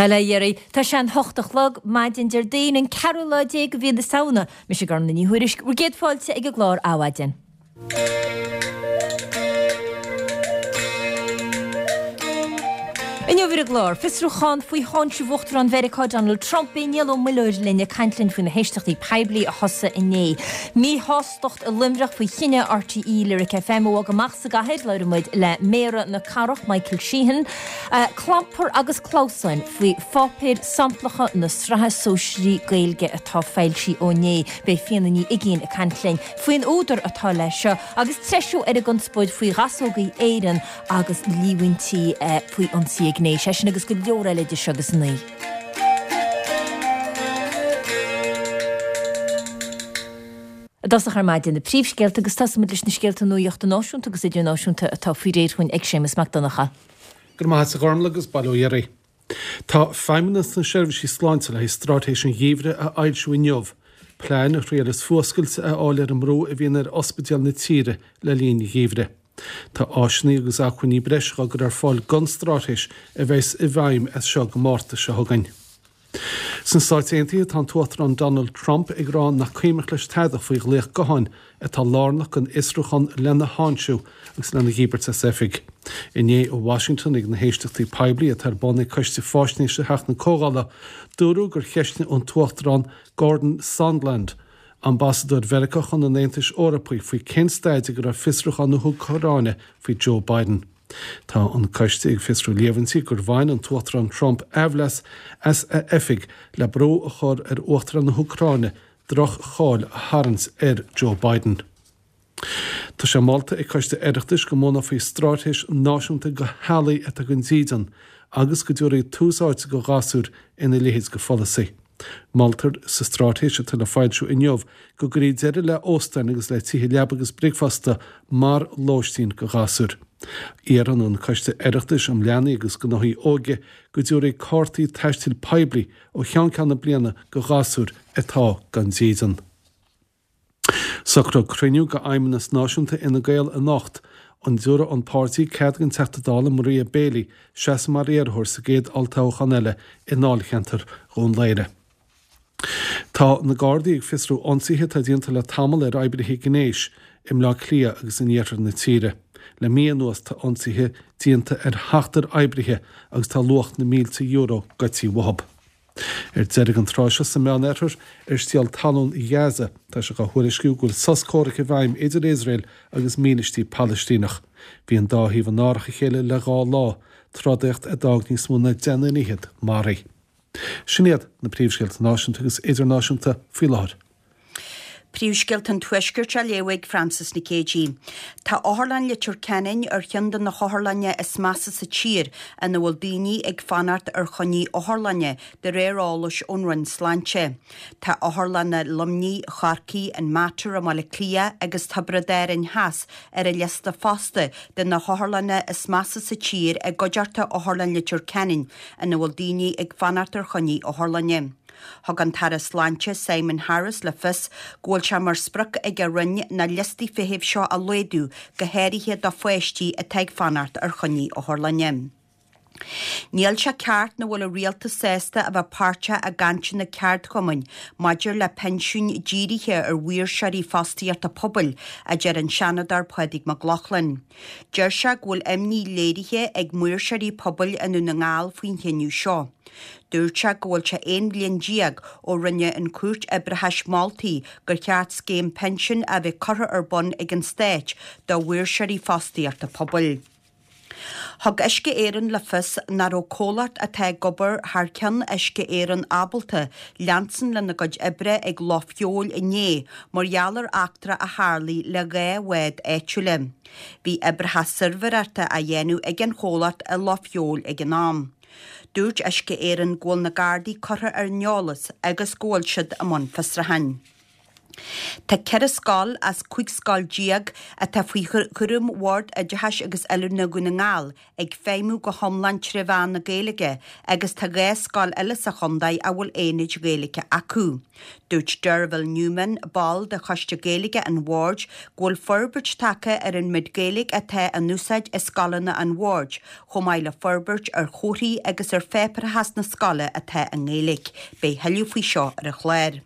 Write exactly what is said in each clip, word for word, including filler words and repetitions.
Bail ó Dhia oraibh, tá sé an hocht a chlog, maidin Déardaoin an ceathrú lá déag de mhí na Samhna. Mise Gormlaith Ní Thuairisg, bhur gcéad fáilte ag an gclár Adhmhaidin. Inniu ar an gclár, fiosrúchán faoi tháinseamh Uachtarán Mheiriceá Donald Trump. Beidh Niall Ó Muilleoir linn ag caint linn faoi na héisteachtaí poiblí a thosaigh inné. Míshástacht i Luimneach faoi chinneadh RTÉ Lyric FM a bhogadh amach as an gcathair. Labhróidh muid le Méara na cathrach, Michael Sheehan. Clampar agus clamhsáin faoi pháipéir samplacha na sraithe sóisearaí Gaeilge atá foilsithe ó inné. Beidh Fíona Ní Uigín ag caint linn faoin údar atá leis seo agus treisiú ar an gconspóid faoi Ghasógaí Éireann agus líomhaintí faoi ionsaí gnéis. É sin agus go leor eile idir seo agus a naoi. I dtosach ar maidin, na príomhscéalta agus tosóimid leis na scéalta nuachta náisiúnta agus idirnáisiúnta atá faoi réir chugainn ag Séamus Mac Donncha. Go raibh maith agat a Ghormlaith agus bail ó Dhia oraibh. Tá Feidhmeannas na Seirbhísí Sláinte le haghaidh Straitéis an Gheimhridh a fhoilsiú inniu, plean a thriaileas fuascailt a fháil ar an mbrú a bhíonn ar ospidéil na tíre le linn an gheimhridh. Tá áiseanna agus acmhainní breise á gcur ar fáil don straitéis a bheas i bhfeidhm as seo go Márta seo chugainn. Sna Stáit Aontaithe, tá an tUachtarán Donald Trump ag rá nach cuimhneach leis tada faoi ghlaoch gutháin atá lárnach don fhiosrúchán lena tháinseamh agus lena dhíbirt as oifig. Inné i Washington ag na héisteachtaí poiblí atá ar bun ag Coiste Faisnéise Theach na Comhdhála, dúradh gur cheistigh an tUachtarán Gordon Sondland, Ambasadóir Mheiriceá chun an Aontais Eorpaigh faoi cén staid ag a raibh fiosrúchán na hÚcráine faoi Joe Biden. Tá an coiste ag fiosrú líomhaintí gur bhain an tUachtarán Trump aimhleas as a oifig le brú a chur ar Uachtarán na hÚcráine droch-cháil a tharraingt ar Joe Biden. Tá sé molta ag Coiste Oireachtais go mbunófaí straitéis náisiúnta do theaghlaigh atá gan dídean agus go dtabharfaí tús áite do ghasúir ina leithéid de pholasaí. Moltar sa straitéis atá le foilsiú inniu go gcuirfí deireadh le hóstáin agus le tithe leaba agus bricfeasta mar lóistín do ghasúir. Iarrann an Coiste Oireachtais um Leanaí agus Gnóthaí Óige go dtabharfaí cártaí taistil poiblí ó cheann ceann na bliana do ghasúir atá gan dídean. Socraíodh cruinniú d'Fheidhmeannas Náisiúnta Fhine Gael anocht. An dtabharfaidh an páirtí cead don Teachta Dála Maria Bailey seasamh mar iarrthóir sa gcéad olltoghchán eile i ndáilcheantar Dhún Laoghaire. Tá na Gardaí ag fiosrú ionsaithe atá déanta le tamall ar oibrithe gnéis i mBleá Cliath agus in iarthar na tíre. Le mí anuas tá ionsaithe déanta ar sheachtar oibrithe agus tá luach na mílte euro goidte uathu. Ar deireadh an tráth seo sa Meánoirthear, ar stiall talún Ghaza, tá sé á thuairisciú go bhfuil sos comhraic i bhfeidhm idir Iosrael agus mílístí Palaistíneach. Bhí an dá thaobh in árach a chéile le dhá lá, trodaíocht a d'fhág níos mó ná deich nduine fhichead maraithe. Sin iad na príomhscéalta náisiúnta agus idirnáisiúnta faoi láthair. Príomhscéalta an Tuaiscirt á léamh ag Frances Nic Géadaigh. Tá Otharlann Leitir Ceanainn ar cheann de na hotharlanna is measa sa tír ina bhfuil daoine ag fanacht ar choinní otharlainne, de réir eolais ón Roinn Sláinte. Tá otharlanna Luimnigh, Chorcaí, an Mater i mBaile Átha Cliath agus Tiobraid Árann Theas ar an liosta fosta de na hotharlanna is measa sa tír i gcuideachta Otharlann Leitir Ceanainn ina bhfuil daoine ag fanacht ar choinní otharlainne. Thug an tAire Sláinte Simon Harris le fios go bhfuil sé mar sprioc ag a Roinn na liostaí feithimh seo a laghdú, go háirithe do pháistí atá ag fanacht ar choinní otharlainne. Níl sé ceart nach bhfuil an rialtas sásta a bheith páirteach i gcainteanna ceardchumainn maidir le pinsiúin dírithe ar mhaoirseoirí fostaíochta pobail, a deir an Seanadóir Pádraig Mac Lochlainn. Deir sé go bhfuil imní léirithe ag maoirseoirí pobail i nDún na nGall faoin chinneadh seo. Dúirt sé go bhfuil sé aon bhliain déag ó rinne an Chúirt Oibreachais moltaí gur cheart scéim pinsin a bheith curtha ar bun ag an Stát do mhaoirseoirí fostaíochta pobail. Thug Uisce Éireann le fios nach raibh comhlacht atá ag obair thar ceann Uisce Éireann ábalta leanstan lena gcuid oibre ag Loch Feabhail inné mar gheall ar eachtra a tharlaigh le dhá bhád áitiúla. Bhí oibreacha suirbhéireachta á dhéanamh ag an chomhlacht i Loch Feabhail ag an am. Dúirt Uisce Éireann go bhfuil na Gardaí curtha ar an eolas agus go bhfuil siad i mbun fiosrúcháin. Tá ceithre scoil as cúig scoil déag atá faoi chúram Bhord Oideachais agus Oiliúna Dhún na nGall ag feidhmiú go hiomlán tré mheán na Gaeilge agus tá dhá scoil eile sa chontae a bhfuil aonaid Ghaeilge acu. Dúirt Derville Newman, ball de Choiste Gaeilge an Bhoird, go bhfuil forbairt tagtha ar an méid Gaeilge atá in úsáid i scoileanna an Bhoird, chomh maith le forbairt ar chomharthaí agus ar pháipéarachas na scoile atá i nGaeilge. Beidh thuilleadh faoi seo ar an chlár.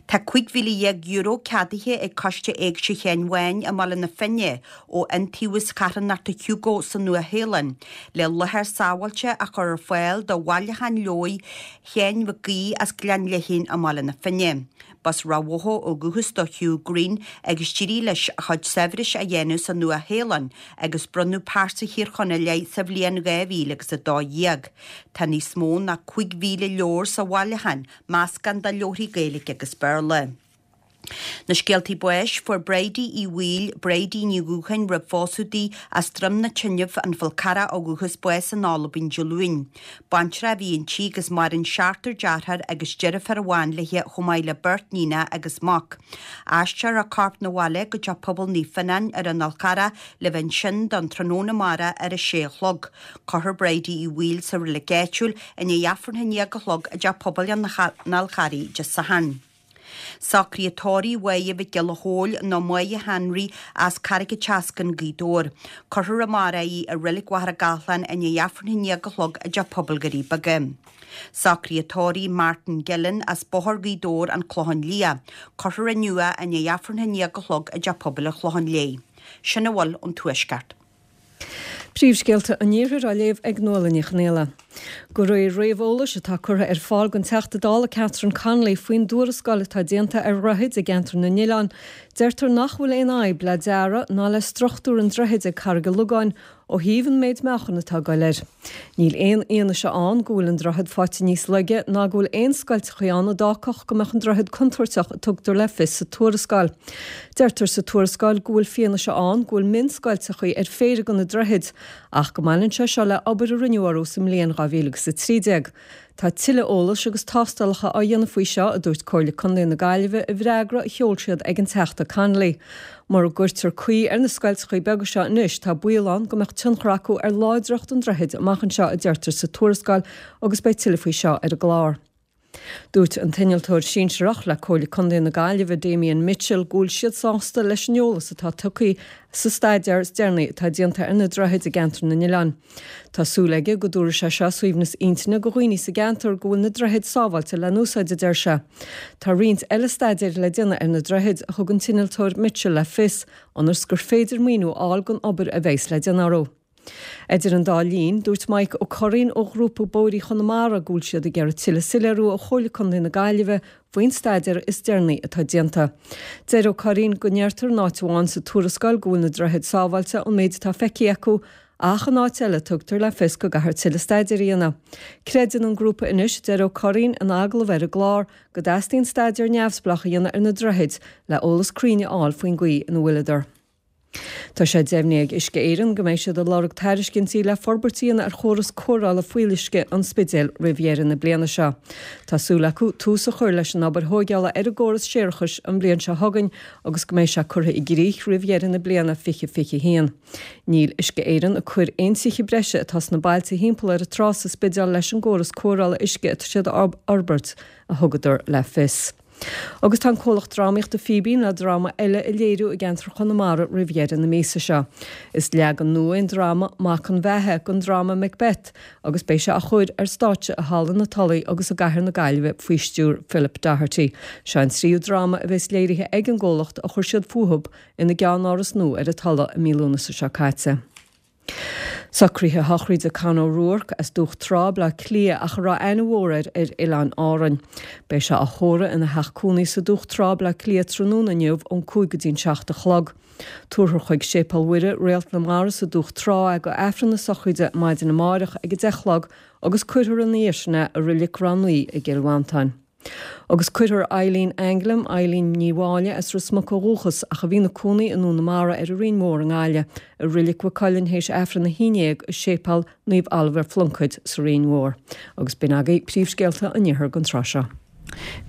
Tá cúig mhíle dhéag euro ceadaithe ag Coiste Éigse Sheáin Bháin i mBaile na Finne ó Iontaobhas Charthanachta Hugo sa Nua-Shéalainn le láthair sábháilte a chur ar fáil do bhailiúchán leabhar Sheáin Mhic Aoidh as Gleann Léithín i mBaile na Finne. B'as Ráth Bhoth ó dhúchas do Hugh Green agus d'éirigh leis a chuid saibhris a dhéanamh sa Nua-Shéalainn agus bronnadh pearsa Thír Chonaill air sa bhliain dhá mhíle agus a dó dhéag. Tá níos mó ná cúig mhíle leabhar sa bhailiúchán, meascán de leabharthaí Gaeilge agus Béarla. Na scéaltaí báis, fuair Bridie Uí Bhaoill, Bridie Ní Dhúcháin roimh phósadh di, as Droim na Tineamh, an Fál Carrach ó dhúchas, bás in Albain Dé Luain. Baintreach a bhí inti agus maireann seachtar deartháir agus deirfiúr amháin léi chomh maith le beirt níonacha agus mac. Aistreofar a corp 'na bhaile go Teach Pobail Naomh Fionnán ar an Fhál Charrach le bheith ansin don tráthnóna amárach ar a sé a chlog. Cuirfear Bridie Uí Bhaoill sa reilig áitiúil i ndiaidh Aifreann a haon déag a chlog i dTeach Pobail an Fháil Charraigh Dé Sathairn. Socruithe tórraimh Mháire Mhic Giolla Chóill nó Máire Henry as Carraig an tSeascainn, Gaoth Dobhair. Cuirfear amárach í i Reilig Mhachaire Gathlán i ndiaidh Aifreann a haon déag a chlog i dTeach Pobail Dhoirí Beaga. Socruithe tórraimh Martin Gillen as Bóthar Ghaoth Dobhair, An Clochán Liath. Cuirfear inniu é i ndiaidh Aifreann a haon déag a chlog i dTeach Pobail an Chlocháin Léith. Sin a bhfuil ón Tuaisceart. Príomhscéalta an Iarthair á léamh ag Nuala Ní Chonghaile. De réir réamheolais atá curtha ar fáil don Teachta Dála Catherine Connolly faoin dtuarascáil atá déanta ar dhroichid i gceantar na nOileán, deirtear nach bhfuil aon fhadhb le dearadh ná le struchtúr an droichid ag Carraig an Logáin ó thaobh an méid meáchan atá ag goil air. Níl aon fhianaise ann go bhfuil an droichead faighte níos laige ná go bhfuil aon scoilteachaí ann a d'fhágfadh go mbeadh an droichead contúirteach, a tugtar le fios sa tuarascáil. Deirtear sa tuarascáil go bhfuil fianaise ann go bhfuil mionscoilteachaí ar phéire de na droichid ach go mbaineann sé seo le obair a rinneadh orthu sa mbliain dhá mhíle agus a trí déag. Tá tuilleadh eolais agus tástálacha á dhéanamh faoi seo, a dúirt Comhairle Contae na Gaillimhe i bhfreagra a sheol siad ag an Teachta Connolly. Mura gcuirtear caoi ar na scoilteachaí beaga seo anois, tá baol ann go mbeadh tionchar acu ar láidreacht an droichid amach anseo, a deirtear sa tuarascáil agus beidh tuilleadh faoi seo ar an gclár. Dúirt an t-innealtóir sinsearach le Comhairle Contae na Gaillimhe, Damien Mitchell, go bhfuil siad sásta leis an eolas atá tugtha sa staidéar is deireanaí atá déanta ar na droichid i gceantar na nOileán. Tá súil aige go dtabharfaidh sé seo suaimhneas intinne do dhaoine sa gceantar go bhfuil na droichid sábháilte le n-úsáid, a deir sé. Tá roinnt eile staidéir le déanamh ar na droichid, a thug an t-innealtóir Mitchell le fios, ionas gur féidir maoiniú a fháil don obair a bheas le déanamh orthu. Idir an dá linn, dúirt Mike Ó Curraoin ó Ghrúpa Bóithre Chonamara go bhfuil siad ag iarraidh tuilleadh soiléiriú ó Chomhairle Contae na Gaillimhe faoin staidéar is deireanaí atá déanta. Deir Ó Curraoin go ndeirtear in áit amháin sa tuarascáil go bhfuil na droichid sábháilte ón méid atá feicthe acu, ach in áit eile tugtar le fios go gcaithfear tuilleadh staidéir a dhéanamh. Creideann an grúpa anois, a deir Ó Curraoin in agallamh ar an gclár, go dteastaíonn staidéar neamhspleách a dhéanamh ar na droichid le eolas cruinn a fháil faoin gcaoi ina bhfuileadar. Tá sé deimhnithe ag Uisce Éireann go mbeidh siad ag lorg tairiscintí le forbairt a dhéanamh ar chóras cóireála fuíolluisce an Spidéil roimh dheireadh na bliana seo. Tá súil acu tús a chur leis an obair thóigeála ar an gcóras séarachais an bhliain seo chugainn agus go mbeidh sé curtha i gcrích roimh dheireadh na bliana fiche fiche a haon. Níl Uisce Éireann ag cur aon tithe breise atá sna bailte thimpeall ar an trá sa Spidéal leis an gcóras cóireála uisce atá siad a fhorbairt, a thugadar le fios. Agus tá an comhlacht drámaíochta Fíbín le dráma eile a léiriú i gceantar Chonamara roimh dheireadh na míosa seo. Is leagan nua é an dráma Mac an Bheatha den dráma Macbeth agus beidh sé á chur ar stáitse i Halla na Tulaí agus i gCathair na Gaillimhe faoi stiúir Philip Doherty. Seo an tríú dráma a bheas léirithe ag an gcomhlacht ó chuir siad fúthu ina gceannáras nua ar an Tulaigh i mí Lúnasa seo caite. Socruithe sochraide Con O'Rourke as Dumhach Trá, Bleá Cliath ach a raibh aithne mhór air ar Oileáin Árann. Beidh sé á thórramh ina theach cónaí sa Dumhach Trá, Bleá Cliath tráthnóna inniu ón cúig go dtí an seacht a chlog. Tabharfar chuig Séipéal Mhuire, Réalt na Mara sa Dumhach Trá é go Aifreann na sochraide maidin amáireach ag a deich a chlog agus cuirfear ina dhiaidh sin é i Reilig Ráth Naoi i gCill Mhantáin. Agus cuirfear Eileen Anglim, Eileen Ní Mháille as Ros Muc ó dhúchas ach a bhí ina cónaí i nDún na Mara ar an Rinn Mhór i nGaillimh, i Reilig Mhaigh Cuilinn théis Aifreann a haon déag i Séipéal Naomh Oilibhéar Phluincéid sa Rinn Mhór. Agus b'in agaibh príomhscéalta an Iarthair don tráth seo.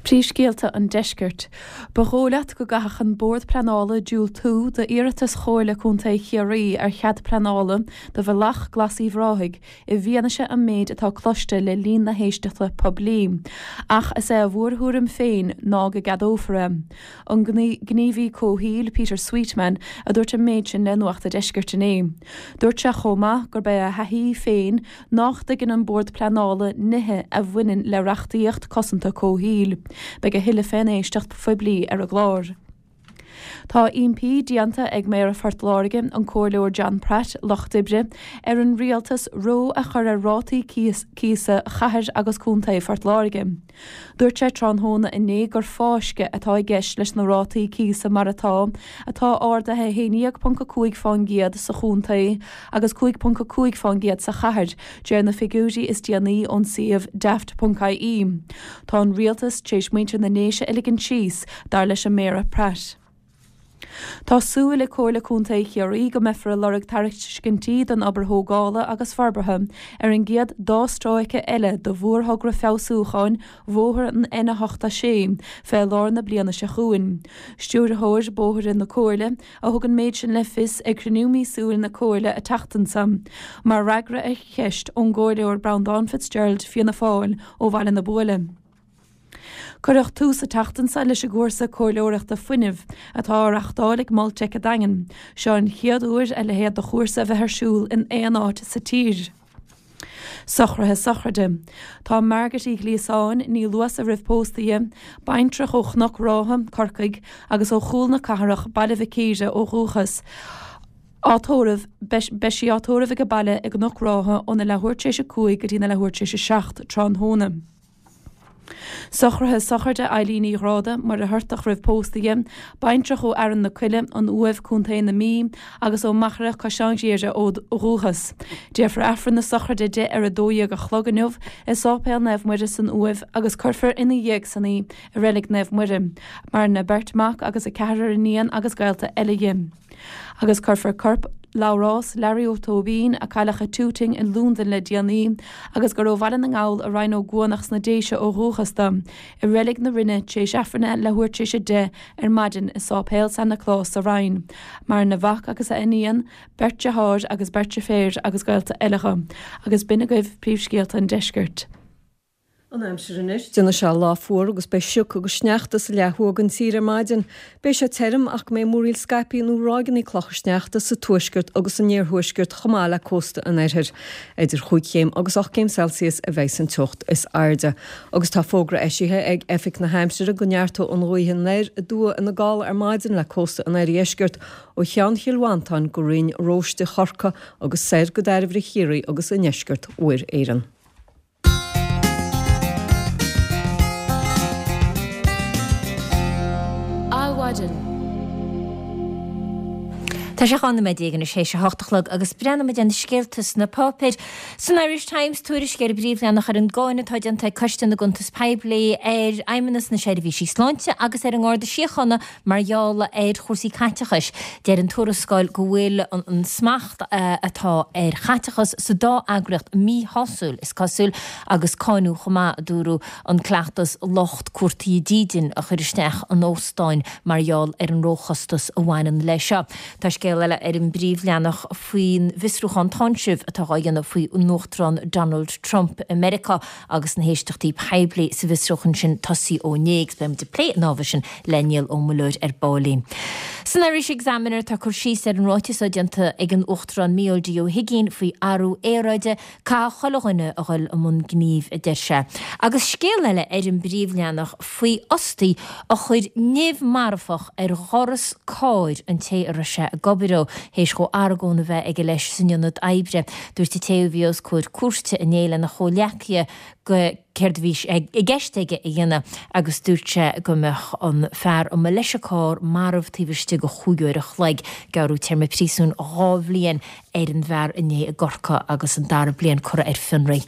Príomhscéalta an Deiscirt. Ba dhóigh leat go gcaithfeadh an Bord Pleanála diúltú d'iarratas Chomhairle Contae Chiarraí ar chead pleanála do Bhealach Glas Uíbh Ráthaigh i bhfianaise an méid atá cloiste le linn na héisteachta poiblí. Ach is é a mhórthuairim féin ná go gceadófar é. An gníomhaí comhshaoil Peter Sweetman a dúirt an méid sin le Nuacht an Deiscirt inné. Dúirt sé chomh maith gurb é a thaithí féin nach dtuigeann an Bord Pleanála nithe a bhaineann le reachtaíocht cosanta comhshaoil. Beidh a thuilleadh fén éisteacht phoiblí ar an gclár. Tá impí déanta ag Méara Phort Láirge, an Comhairleoir John Pratt, Lucht Oibre, ar an Rialtas reo a chur ar rátaí cíosa Chathair agus Contae Phort Láirge. Dúirt sé tráthnóna inné gur fáisceadh atá i gceist leis na rátaí cíosa mar atá, atá ardaithe a haon déag ponc a cúig fán gcéad sa chontae agus cúig ponc a cúig fán gcéad sa chathair, de réir na figiúirí is déanaí ón suíomh daft ponc ie. Tá an Rialtas tar éis muintir na nDéise a ligean síos, dar leis an Méara Pratt. Tá súil ag Comhairle Contae Chiarraí go mbeifear ag lorg tairiscintí don obair thógála agus forbartha ar an gcéad dá stráice eile de mhórthogra feabhsúcháin Bhóthar an N a hocht a sé fé lár na bliana seo chugainn. Stiúrthóir Bóithre na Comhairle a thug an méid sin le fios ag cruinniú míosúil na Comhairle an tseachtain seo, mar fhreagra ar cheist ón gComhairleoir Breandán Fitzgerald, Fianna Fáil, ó Bhaile na Buaile. Cuireadh tús an tseachtain seo leis an gcúrsa comhairleoireachta fuinnimh atá á reáchtáil ag Mol Teic an Daingin. Seo an chéad uair a leithéid de chúrsa a bheith ar siúl in aon áit sa tír. Socruithe sochraide. Tá Margaret Uí Ghliasáin, Ní Luasa roimh pósadh di, baintreach ó Chnoc Rátha, Corcaigh, agus ó Chúl na Cathrach, Baile Mhic Íre ó dhúchas, á tórramh, beidh sí á tórramh ag a baile i gCnoc Rátha óna leathuair tar éis a cúig go dtí na leathuair tar éis a seacht tráthnóna. Socruithe sochraide Eileen Uí Ghráda, Muircheartach roimh pósadh di, baintreach ó Fhearann na Coille, An Uaimh, Contae na Mí, agus ó Machaire Caisleán Ghriaire ó dhúchas. Déarfar Aifreann na sochraide di ar a dó dhéag a chlog inniu i Sáipéal Naomh Muire san Uaimh agus cuirfear ina dhiaidh san í i Reilig Naomh Muire. Maireann a beirt mac agus a ceathrar iníon agus gaolta eile di. Agus cuirfear corp Labhrás Larry Ó Tóibín, a cailleadh i Tooting i Londain le déanaí agus gur ó Bhaile na nGall i Rinn Ó gCuanach sna Déise ó dhúchas dó, i Reilig na Rinne tar éis Aifreann a leathuair tar éis a deich ar maidin i Sáipéal San Nioclás sa Rinn. Maireann a mhac agus a iníon, beirt deartháir agus beirt deirféar agus gaolta eile dho. Agus b'in agaibh príomhscéalta an deiscirt. An aimsir anois, déanfaidh sé lá fuar agus beidh sioc agus sneachta sa leath thuaidh den tír ar maidin. Beidh sé tirim ach go mbeidh múraíl scaipthe nó ráigeanna clocha sneachta sa tuaisceart agus san iarthuaisceart chomh maith le cósta an oirthir. Idir chúig chéim agus ocht gcéim Celsius a bheidh an teocht is airde. Agus tá fógra eisithe ag Oifig na hAimsire go neartóidh an ghaoth anoir aduaidh ina gála ar maidin le cósta an oirdheiscirt ó Cheann Chill Mhantáin go Rinn Róiste Chorcaí agus soir go Dairbhre Chiarraí agus i ndeisceart Mhuir Éireann. Adhmhaidin. Tá sé dhá nóiméad déag anois théis a hocht a chlog agus breathnóimid ar na scéalta sna páipéir. San Irish Times, tuairisc ar an bpríomhleathanach ar an gcáineadh atá déanta ag Coiste na gCuntas Poiblí ar Fheidhmeannas na Seirbhísí Sláinte agus ar an nGarda Síochána mar gheall ar chúrsaí caiteachais. Deir an tuarascáil go bhfuil an smacht atá ar chaiteachas sa dá eagraíocht míshásúil, is cosúil, agus cáineadh chomh maith, a dúradh, an cleachtas lucht cuartaithe dídine a chur isteach in óstáin mar gheall ar an róchostas a bhaineann leis seo. Tá scéal eile ar an bpríomhleathanach faoin bhfiosrúchán táinsimh atá á dhéanamh faoi an Uachtarán Donald Trump i Meiriceá agus na héisteachtaí poiblí sa bhfiosrúchán sin tosaithe ó inné agus beidh muid ag plé an ábhair sin le Niall Ó Muilleoir ar baillín. San Irish Examiner tá cur síos ar an ráiteas atá déanta ag an Uachtarán Mícheál D Ó hUigínn faoi athrú aeráide, Caithfidh chuile dhuine a dhul i mbun gnímh, a deir sé. Agus scéal eile ar an bpríomhleathanach faoi fhostaí a chuir nimh marfach ar dhoras cairr an té a raibh sé ag obair dhó, théis dhó argóint a bheith aige leis san ionad oibre. Dúirt an té a bhí os comhair cúirte inné lena chomhghleacaithe go céard a bhí i gceist aige a dhéanamh agus dúirt sé go mbeadh an fear a mba leis an carr marbh taobh istigh de chúig uair a chloig. Gearradh téarma príosúin dhá bhliain ar an bhfear inné i gCorcaigh agus an dara bliain curtha ar fionraí.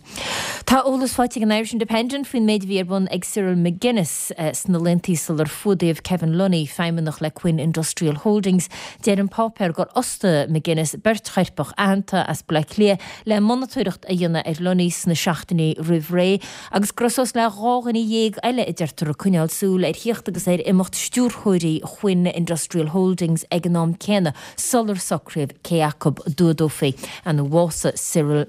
Tá eolas faighte ag an Irish Independent faoin méid a bhí ar bun ag Cyril McGuinness sna laethanta sular fuadaíodh Kevin Lunny, feidhmeannach le Quinn Industrial Holdings. Deir an páipéar gur fhostaigh McGuinness beirt choirpeach aitheanta as Baile Átha Cliath le monatóireacht a dhéanamh ar Lunny sna seachtainí roimh ré agus Agus go raibh suas le dhá dhuine dhéag eile a deirtear ag coinneáil súil ar thíocht agus ar imeacht stiúrthóirí Quinn Industrial Holdings ag an am céanna sular socraíodh cé acu a d'fhuadófaí nó a bhásaigh Cyril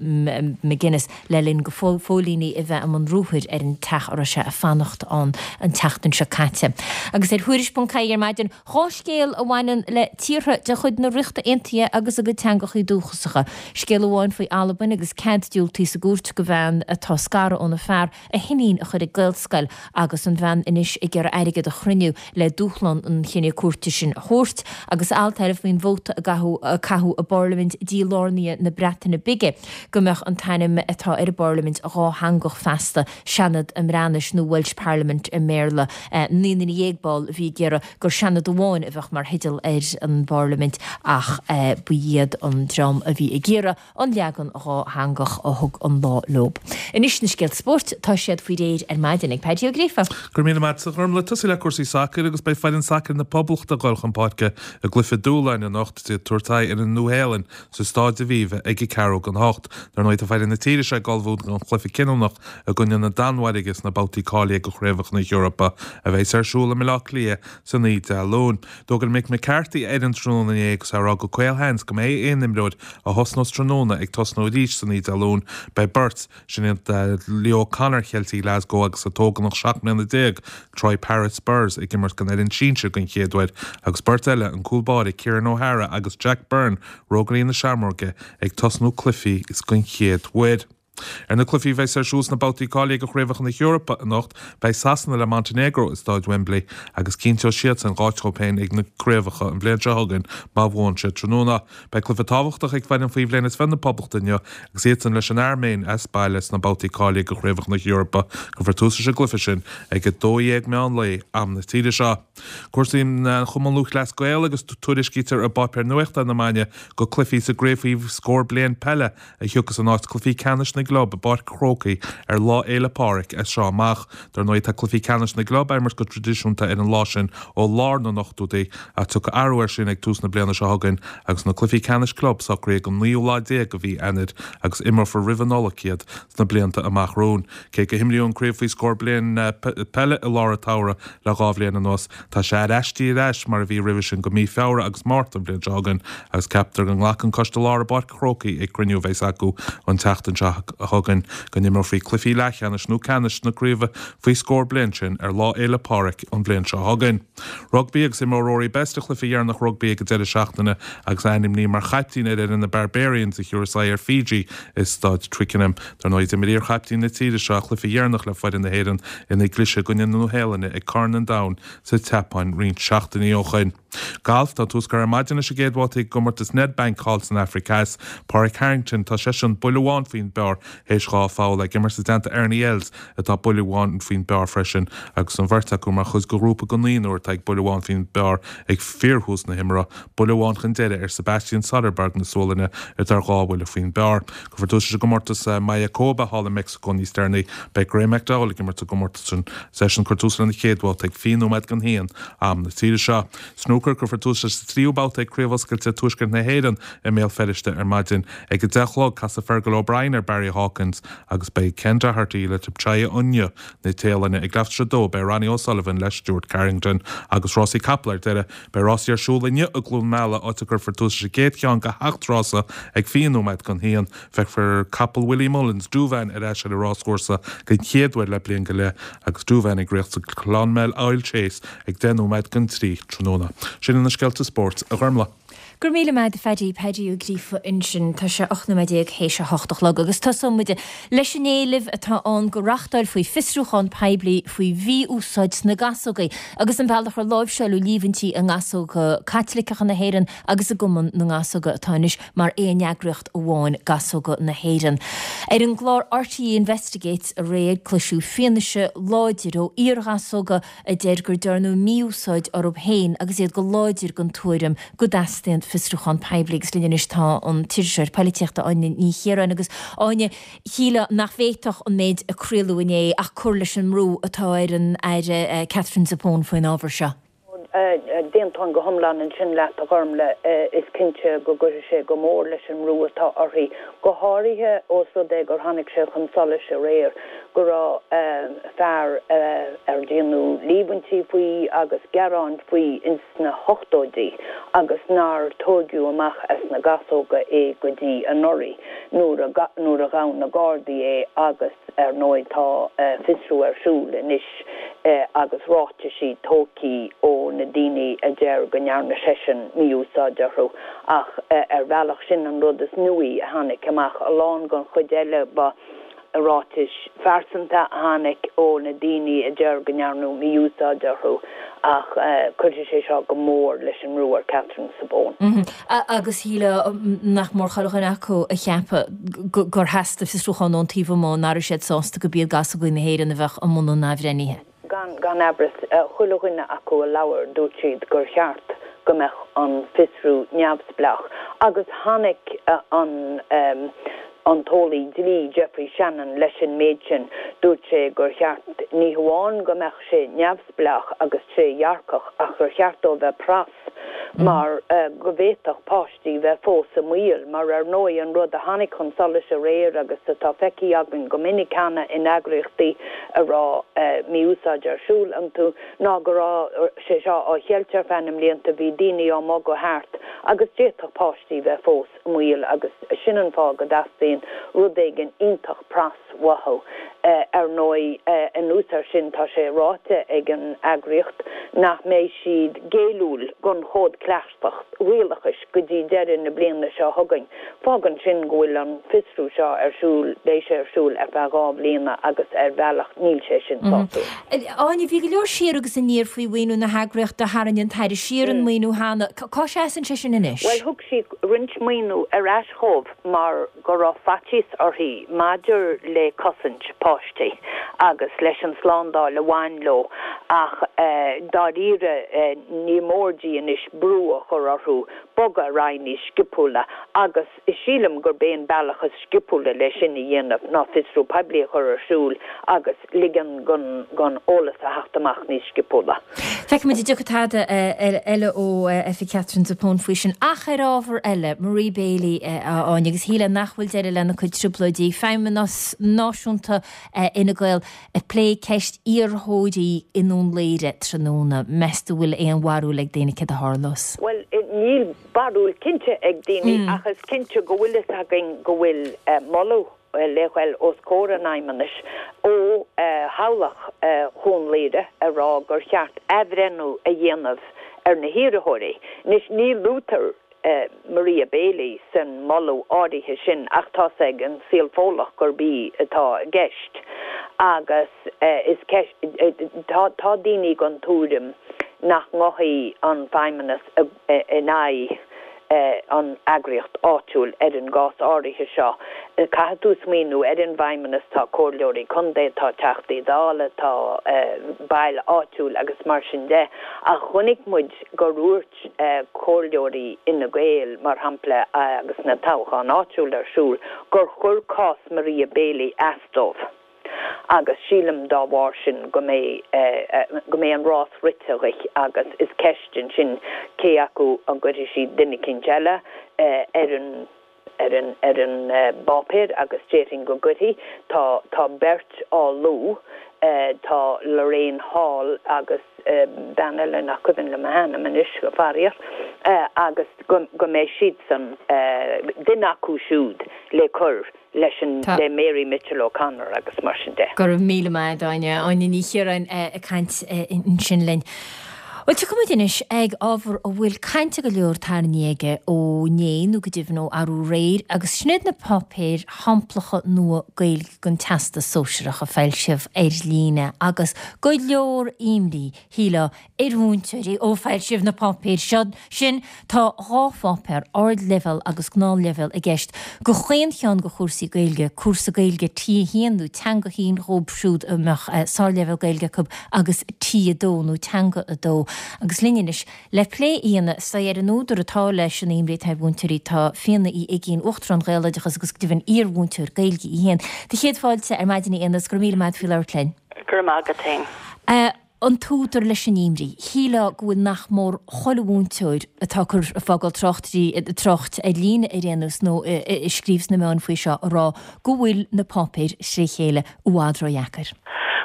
McGuinness le linn do phóilíní a bheith i mbun ruathair ar an teach a raibh sé ag fanacht ann an tseachtain seo caite. Agus ar Thuairisc ponc ie ar maidin, dhá scéal a bhaineann le tíortha de chuid na Ríochta Aontaithe agus a gcuid teangachaí dúchasacha. Scéal amháin faoi Albain agus cead diúltaithe sa gcúirt do bhean atá scartha óna fear a hiníon a chur ag Gaelscoil agus an bhean anois ag iarraidh airgead a chruinniú le dúshlán an chinnidh cúirte sin a thabhairt. Agus alt eile faoin vóta a caitheadh i bParlaimint dílárnaithe na Breataine Bige go mbeadh an t-ainm atá ar an bParlaimint dhátheangach feasta, Seanad na mBreatnais nó Welsh Parliament i mBéarla. Naoi nduine dhéag ball a bhí ag iarraidh gur Seanad amháin a bheadh mar theideal ar an bParlaimint ach ba iad an dream a bhí ag iarraidh an leagan dhátheangach a thug an lá leo. Anois na scéalta spóirt, tá siad faoi réir ar maidin ag Paddy Ó Gríofa. Go raibh míle maith agat a Ghormlaith. Tosú le cúrsaí sacair agus beidh foireann sacair na Poblachta ag dul chun páirce i gcluiche dúshláin anocht is iad ag tabhairt aghaidh ar an Nua-Shéalainn sa Stáid Aviva ag a ceathrú don hocht. Dar ndóigh tá foireann na tíre seo ag ullmhú don chluiche cinniúnach i gcoinne na Danmhairge sna babhtaí cáilithe do Chraobhacha na hEorpa a bheas ar siúl i mBaile Átha Cliath san oíche Dé Luain. D'fhógair Mick McCarthy a fhoireann tráthnóna inné agus é ag rá go caolsheans go mbeidh aon imreoir a thosnós tráthnóna ag tosnú arís san oíche Dé Luain. Beidh beirt, sin iad Leo O'Connor Cheiltigh Glasgow agus an t-ógánach seacht mbliana déag, Troy Parrott Spurs, ag imirt don fhoireann sinsir den chéad uair agus beirt eile, an cúl báire Kieran O'Hara agus Jack Byrne, Rógairí na Seamróige, ag tosnú cluichí den chéad uair. Ar na cluichí a bheas ar siúl sna babhtaí cáilithe do Chraobhacha na hEorpa anocht, beidh Sasana le Montenegro i Stáid Wembley agus cinnteoidh siadsan áit dóibh féin ag na craobhacha an bhliain seo chugainn má bhuann siad tráthnóna. Beidh cluiche tábhachtach ag foireann faoi bhliain is fiche na Poblachta inniu agus iadsan leis an Airméin as baile sna babhtaí cáilithe do Chraobhacha na hEorpa. Cuirfear tús leis an gcluiche sin ag a dó dhéag meán lae am na tíre seo. Cúrsaí an Chumann Lúthchleas Gael agus tuairiscítear i bpáipéar nuachta na maidine gur cluichí sa gcraobh faoi scór bliain peile a thiocfas in áit cluichí ceannais na gclub i bPáirc an Chrócaigh ar Lá Fhéile Pádraig as seo amach. Dar ndóigh tá cluichí ceannais na gclub á imirt go traidisiúnta ar an lá sin ó lár na n-ochtóidí ach tiocfaidh athrú air sin ag tús na bliana seo chugainn agus na cluichí ceannais club socraithe don naoú lá déag de mhí Eanáir agus imreofar roimh an Nollaig iad sna blianta amach romhainn. Cé go himríodh an craobh faoi scór bliain peile i lár an tsamhraidh le dhá bhliain anuas, tá sé ar aistrithe ar ais mar a bhí roimhe sin go mí Feabhra agus Márta an bhliain seo chugainn agus ceaptar go nglacfaidh an Coiste Láir i bPáirc an Chrócaigh ag cruinniú a bheas acu an tseachtain seo chugainn go n-imreofaí cluichí leathcheannais nó ceannais na craoibhe faoi scór bliain sin ar Lá Fhéile Pádraig an bhliain seo chugainn. Rugbaí agus imreoidh Rory Best a chluiche dheireanach rugbaí ag an deireadh seachtaine agus é ainmnithe mar chaiptín ar fhoireann na Barbarians a thiúrfas aghaidh ar Fiji i Staid Twickenham. Dar ndóigh d'imir iarchaiptín na tíre seo a chluiche dheireanach le foireann na hÉireann ina gcliseadh i gcoinne na Nua-Shéalainne ag Corn an Domhain sa tSeapáin roinnt seachtainí ó shoin. Galf, Tá tús curtha ar maidin leis an gcéad bhabhta i gcomórtas Nedbank thall san Afraic Theas. Pádraig Harrington, tá seisean buille amháin faoin bpar théis dhá pholl, ag imirt i dteannta Ernie Els atá buille amháin faoin bpar freisin agus an bheirt acu mar chuid de ghrúpa de naonúr atá ag buille amháin faoin bpar ag fíorthús na himeartha, buille amháin chun deiridh ar Sebastian Soderberg na Sualainne atá ar dhá bhuille faoin bpar. Cuirfear tús leis an gcomórtas Mayakoba thall i Meicsiceo níos deireanaí. Beidh Graeme McDowell ag imirt sa gcomórtas sin. Is eisean ag cur tús lena chéad bhabhta ag fiche nóiméad don haon am na tíre seo. Snúcar, Cuirfear tús leis an tríú babhta ag Craobh Oscailte Tuaisceart na hÉireann i mBéal Feirste ar maidin. Ag a deich a chlog, casfaidh Fergal O'Brien ar Barry Hawkins agus beidh Ken Doherty le Thepchaiya Un-Nooh na Téalainne. Ag leath tar éis a dó, beidh Ronnie O'Sullivan le Stuart Carrington. Agus rásaí capall ar deireadh, beidh rásaí ar siúl inniu i gCluain Meala, áit a gcuirfear tús leis an gcéad cheann de sheacht rása ag fiche nóiméad don haon. Feicfear capall Willie Mullins, Douvan, ar ais ar an ráschúrsa den chéad uair le bliain go leith agus Douvan ag rith sa Clonmel Oil Chase ag deich nóiméad don trí tráthnóna. Sin iad na scéalta spóirt, a Ghormlaith. Go raibh míle maith agat a Phaddy, Paddy Ó Gríofa ansin. Tá sé ocht nóiméad déag théis a hocht a chlog agus tosóidh muid leis an éileamh atá ann go reáchtálfaí fiosrúchán poiblí faoi mhí-úsáid sna gasógaí agus an bealach ar láimhseáladh líomhaintí i nGasóga Caitliceacha na hÉireann agus i gCumann na nGasóga atá anois mar aon eagraíocht amháin, Gasóga na hÉireann. Ar an gclár RTÉ Investigates aréir cloiseadh fianaise láidir ó iar-ghasóga a deir gur dearnadh mí-úsáid orthu féin agus iad go láidir den tuairim go dteastaíonn fiosrúchán poiblí agus linn anois tá an t-iriseoir polaitíochta Áine Ní Chiaráin agus Áine, shílfeá nach bhféadfadh an méid a craoladh inné ach cur leis an mbrú atá ar an Aire Catherine Zappone faoin ábhar seo. D'aontóinn go hiomlán ansin leat, a Ghormlaith. Is cinnte go gcuirfidh sé go mór leis an mbrú atá uirthi, go háirithe ós rud é gur tháinig sé chun solais aréir go raibh fear ar déanadh líomhaintí faoi agus gearáin faoi ins na hochtóidí agus nár tógadh amach as na gasóga é go dtí anuraidh nuair a nuair a ghabh na Gardaí é agus ar ndóigh tá fiosrú ar siúl anois agus ráitisí tógtha ó na daoine a deir go ndearna seisean mí-úsáid orthu ach ar bhealach sin an rud is nuaí a tháinig amach a lán den chuid eile ba ráitis phearsanta a tháinig ó na daoine a deir go ndearnadh mí-úsáid orthu ach cuirfidh sé seo go mór leis an mbrú ar Catherine Zappone. Agus shílfeá nach mór chuile dhuine acu a cheapadh gur theastaigh fiosrúchán ón taobh amuigh, nach raibh siad sásta go b'iad Gasógaí na hÉireann a bheadh i mbun an athbhreithnithe. Gan gan amhras, chuile dhuine acu a labhair dúirt siad gur cheart go mbeadh an fiosrú neamhspleách agus tháinig an an t-eolaí dlí Geoffrey Shannon leis an méid sin. Dúirt sé gur cheart ní hamháin go mbeadh sé neamhspleách agus trédhearcach ach gur cheart dó bheith pras mar go bhféadfadh páistí bheith fós i mbaol, mar ar ndóigh an rud a tháinig chun solais aréir agus atá feicthe againn go minic cheana in eagraíochtaí a raibh mí-úsáid ar siúl iontu ná go raibh sé seo á cheilt ar feadh na mblianta, bhí daoine á mbogadh thart agus d'fhéadfadh páistí bheith fós i mbaol agus sin an fáth go dteastaíonn rud éigin iontach pras uathu. Ar ndóigh, anuas air sin, tá sé ráite ag an eagraíocht nach mbeidh siad géilliúil don Chód Cleachtach Rialachais go dtí deireadh na bliana seo chugainn. Fágann sin go bhfuil an fiosrú seo ar siúl, beidh sé ar siúl ar feadh dhá bhliana agus ar bhealach níl sé sin sásúil. Áine, bhí go leor siar agus aniar faoi mhaoiniú na heagraíochta, tharraing an tAire siar an maoiniú cheana. Cá seasann sé sin anois? Bhuel, thug sí roinnt maoiniú ar ais dhóibh mar go raibh faitíos uirthi maidir le cosaint páistí agus leis an slándáil a bhain leo ach dáiríre ní mór di anois brú a chur orthu bogadh ar aghaidh níos sciopúla agus sílim gurb é an bealach is sciopúla le sin a dhéanamh ná fiosrú poiblí a chur ar siúl agus ligean don eolas a theacht amach níos sciopúla. Feicfimid an dtiocfaidh tada eile ó Oifig Catherine Zappone faoi sin. Ach ar ábhar eile, Marie Bailey, a Áine, agus shílfeá nach bhfuil deireadh lena cuid trioblóidí, Feidhmeannas Náisiúnta Fhine Gael ag plé ceist iarrthóirí i nDún Laoghaire tráthnóna. Meas tú bhfuil aon bharúil ag daoine céard a tharlós? Bhuel, níl barúil cinnte ag daoine ach is cinnte go bhfuil fhios againn go bhfuil moladh le ghoil os comhair an Fheidhmeannais ó theaghlach Dhún Laoghaire ag rá gur cheart athbhreithniú a dhéanamh ar na hiarrthóirí. Anois ní luaitear Maria Bailey san moladh áirithe sin ach tá's ag an saol Fódlach gurb í atá i gceist agus is ceist tá tá daoine den tuairim nach ngabhfaidh an Feidhmeannas in aghaidh an eagraíocht áitiúil ar an gcás áirithe seo. Caithfidh tú smaoineamh ar an bhFeidhmeannas, tá comhairleoirí contae, tá Teachtaí Dála, tá baill áitiúil agus mar sin de. Ach chonaic muid gur dhúirt comhairleoirí Fhine Gael, mar shampla, agus na toghcháin áitiúil ar siúl, gur chuir cás Maria Bailey as dóibh. Agus sílim dá bharr sin go mbeidh go mbeidh an rás rite dhuit agus is ceist ansin cé acu an gcuirfidh siad duine eicínt eile ar an ar an ar an bpáipéar agus déarfainn go gcuirfidh. Tá tá beirt á lua, tá Lorraine Hall agus bean eile nach cuimhin liom a hainm anois, faraor, agus go go mbeidh siadsan, duine acu siúd le cur leis an le Mary Mitchell O'Connor agus mar sin de. Go raibh míle maith agat, Áine. Áine Ní Chiaráin ag caint ansin linn. Bhuel, tiocfaidh muid anois ag ábhar a bhfuil caint go leor tarraingthe aige ó inné nó go deimhin ó arú aréir agus sin iad na páipéir shamplacha nua Gaeilge don Teastas Sóisearach a foilsíodh ar líne agus go leor imní, shílfeá, ar mhúinteoirí ó foilsíodh na páipéir seo sin. Tá dhá pháipéar, ardleibhéal agus gnáthleibhéal, i gceist do chaon cheann de chúrsaí Gaeilge, cúrsa Gaeilge T a haon nó Teanga a haon dhóibh siúd a mbeadh sárleibhéal Gaeilge acu agus T a dó nó Teanga a dó. Agus linn anois le plé a dhéanamh ar an údar atá leis an imní atá ar mhúinteoirí tá Fíona Uí Uigínn, Uachtarán Ghaeloideachas agus go deimhin iar-mhúinteoir Gaeilge í féin. Do chéad fáilte ar maidin a Fhíona agus go raibh míle maith agat faoi labhairt linn. Go raibh maith agat féin. An t-údar leis an imní, shílfeá go bhfuil nach mór chuile mhúinteoir atá ag cur ag fágáil tráchtairí trácht ar líne ar aon nós nó ag scríobh sna meáin faoi seo ag rá go bhfuil na páipéir tré chéile i bhfad ródheacair.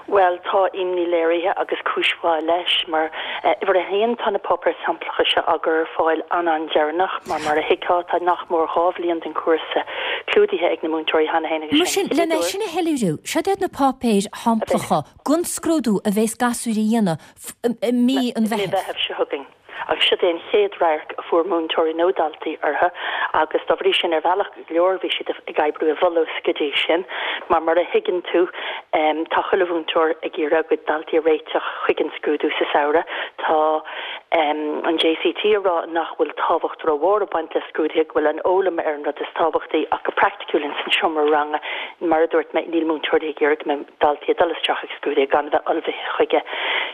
Bhuel, tá imní léirithe agus cúis mhaith leis, mar uimhir a haon, tá na páipéir shamplacha seo á gcur ar fáil an-an-deireanach, mar mar a thuigfeá, tá nach mór dhá bhliain den chúrsa clúdaithe ag na múinteoirí cheana féin agus Mar sin sin, lena sin a shoiléiriú, seo iad na páipéir shamplacha don scrúdú a bheas gasúir a dhéanamh i mí an Mí Mheithimh. Mheithimh seo chugainn. Agus siod é an chéad radharc a fuair múinteoirí nó daltaí orthu agus dá bhrí sin ar bhealach go leor bhí siad ag oibriú i bhfolús go dtí sin mar mar a thuigeann tú tá chuile mhúinteoir ag iarraidh a gcuid daltaí a réiteach chuig an scrúdú sa samhradh. Tá an JCT ag rá nach bhfuil tábhacht rómhór ag baint le scrúduithe, go bhfuil an fhoghlaim ar an rud is tábhachtaí ach go praiticiúil ins an seomra ranga mar a dúirt mé níl múinteoirí ag iarraidh go mbeidh daltaí ag dul isteach ag scrúduithe gan a bheith ullmhaithe chuige.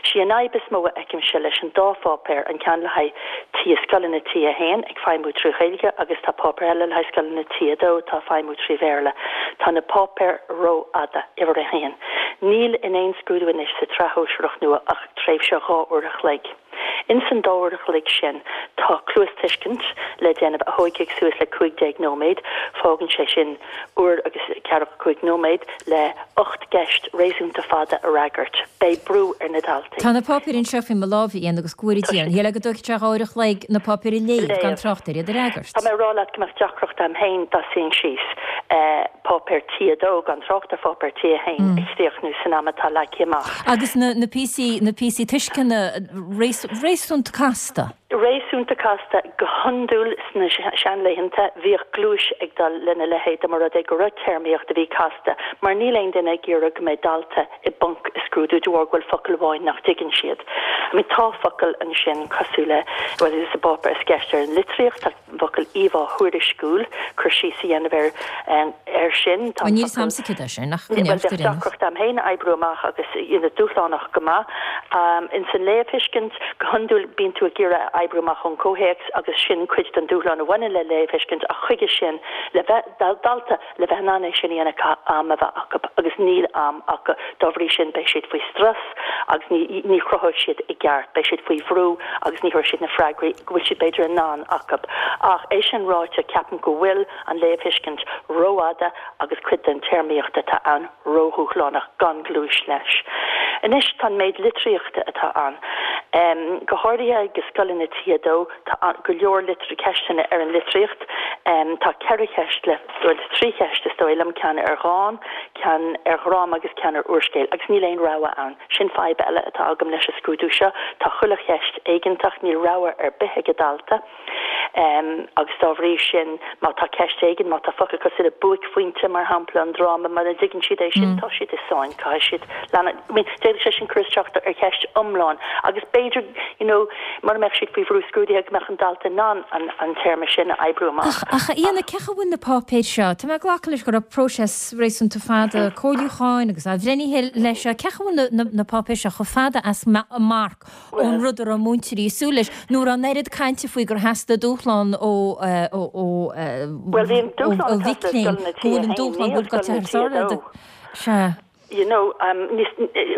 Sí an fhadhb is mó a fheicimse leis an dá pháipéar, an ceann le haghaidh T scoileanna T a haon ag feidhmiú trí Ghaeilge agus tá páipéar eile le haghaidh scoileanna T a dó atá ag feidhmiú trí Bhéarla. Tá na páipéir rófhada, uimhir a haon. Níl in aon scrúdú anois sa tsraith shóisearach nua ach tréimhse dhá uair a chloig. Ins an dá uair a chloig sin tá cluastuiscint le déanamh a thóigfidh suas le cúig déag nóiméad. Fágann sé sin uair agus ceathracha cúig nóiméad le ocht gceist réasúnta fada a fhreagairt. Beidh brú ar na daltaí. Tá na páipéir anseo faoi mo lámh, a Éanna, agus go bhfóire Tá Dia siad. orainn. Shílfeá go dtógfadh sé dhá uair a chloig na páipéir a léamh, gan Léamh. trácht ar iad a fhreagairt. Tá mé ag rá leat go mbeadh deacracht a'm féin dá suínn síos páipéar T a dó, gan trácht ar pháipéar T a haon, a chríochnú san am atá leagtha amach. Agus na na píosaí na píosaí tuisceana réasúnta casta. Réasúnta casta. Go hiondúil sna seanlaethanta bhíodh gluais ag dul lena leithéid dá mba rud é go raibh téarmaíocht a bhí casta mar níl aon duine ag iarraidh go mbeidh dalta i bponc i scrúdú de bharr go bhfuil focal amháin nach dtuigeann siad. I mean tá focail ansin cosúil le, bhuel sa bpáipéar is ceist ar an litríocht, tá an focal íomhá thuairisciúil, cur síos a dhéanamh ar air sin, tá Bhuel an níl focal. 'fhios a'msa céard é sin ach go Bhuel neart bheadh ar aon nós. deacracht a'm féin a oibriú amach agus you know dúshlánach go maith. Ins an léamhthuiscint, go hiondúil bíonn tú ag iarraidh a oibriú amach ón gcomhthéacs agus sin cuid den dúshlán a bhaineann le léamhthuiscint ach chuige sin le bheith dalta le bheith in ann é sin a dhéanamh caithfidh am a bheith acu agus níl am acu dá bhrí sin beidh siad faoi strus agus ní ní chruthóidh siad i gceart, beidh siad faoi bhrú agus ní thabharfaidh siad na freagraí go bhfuil siad b'fhéidir in ann acu. Ach é sin ráite ceapaim go bhfuil an léamhthuiscint rófhada agus cuid den téarmaíocht atá ann ródhúshlánach gan gluais leis. Anois tá an méid litríochta atá ann. Go háirithe ag scoileanna T a dó tá go leor ceisteanna ar an litríocht. Tá ceithre cheist le, bhuel trí cheist is dóigh liom, ceann ar dhán, ceann ar dhráma agus ceann ar úrscéal agus níl aon rogha ann. Sin fadhb eile atá agam leis an scrúdú seo, tá chuile cheist éigeantach, níl rogha ar bith ag an dalta. Agus dá bhrí sin, má tá ceist éigin, má tá focal cosúil le buaicphointe, mar shampla, an dráma, mura dtuigeann siad é sin, tá siad i sáinn, caithfidh siad leanacht. I mean, d'fhéadfadh sé sin cur isteach ar cheist iomlán agus b'fhéidir, you know, mura mbeadh siad faoi bhrú scrúdaithe go mbeadh an dalta in ann an an téarma sin a oibriú amach. Ach, a Éanna, cén chaoi a bhfuil na páipéir seo? Tá mé ag glacadh leis go raibh próiseas réasúnta fada comhairliúcháin agus athbhreithnithe leis seo. Cén chaoi a bhfuil na na páipéir seo chomh fada as marc ón rud a raibh múinteoirí ag súil leis, nó an raibh an oiread cainte faoi gur theastaigh dúshlán ó ó ó ó mhic léinn go bhfuil an dúshlán go bhfuil go thar sáile Sea. You know,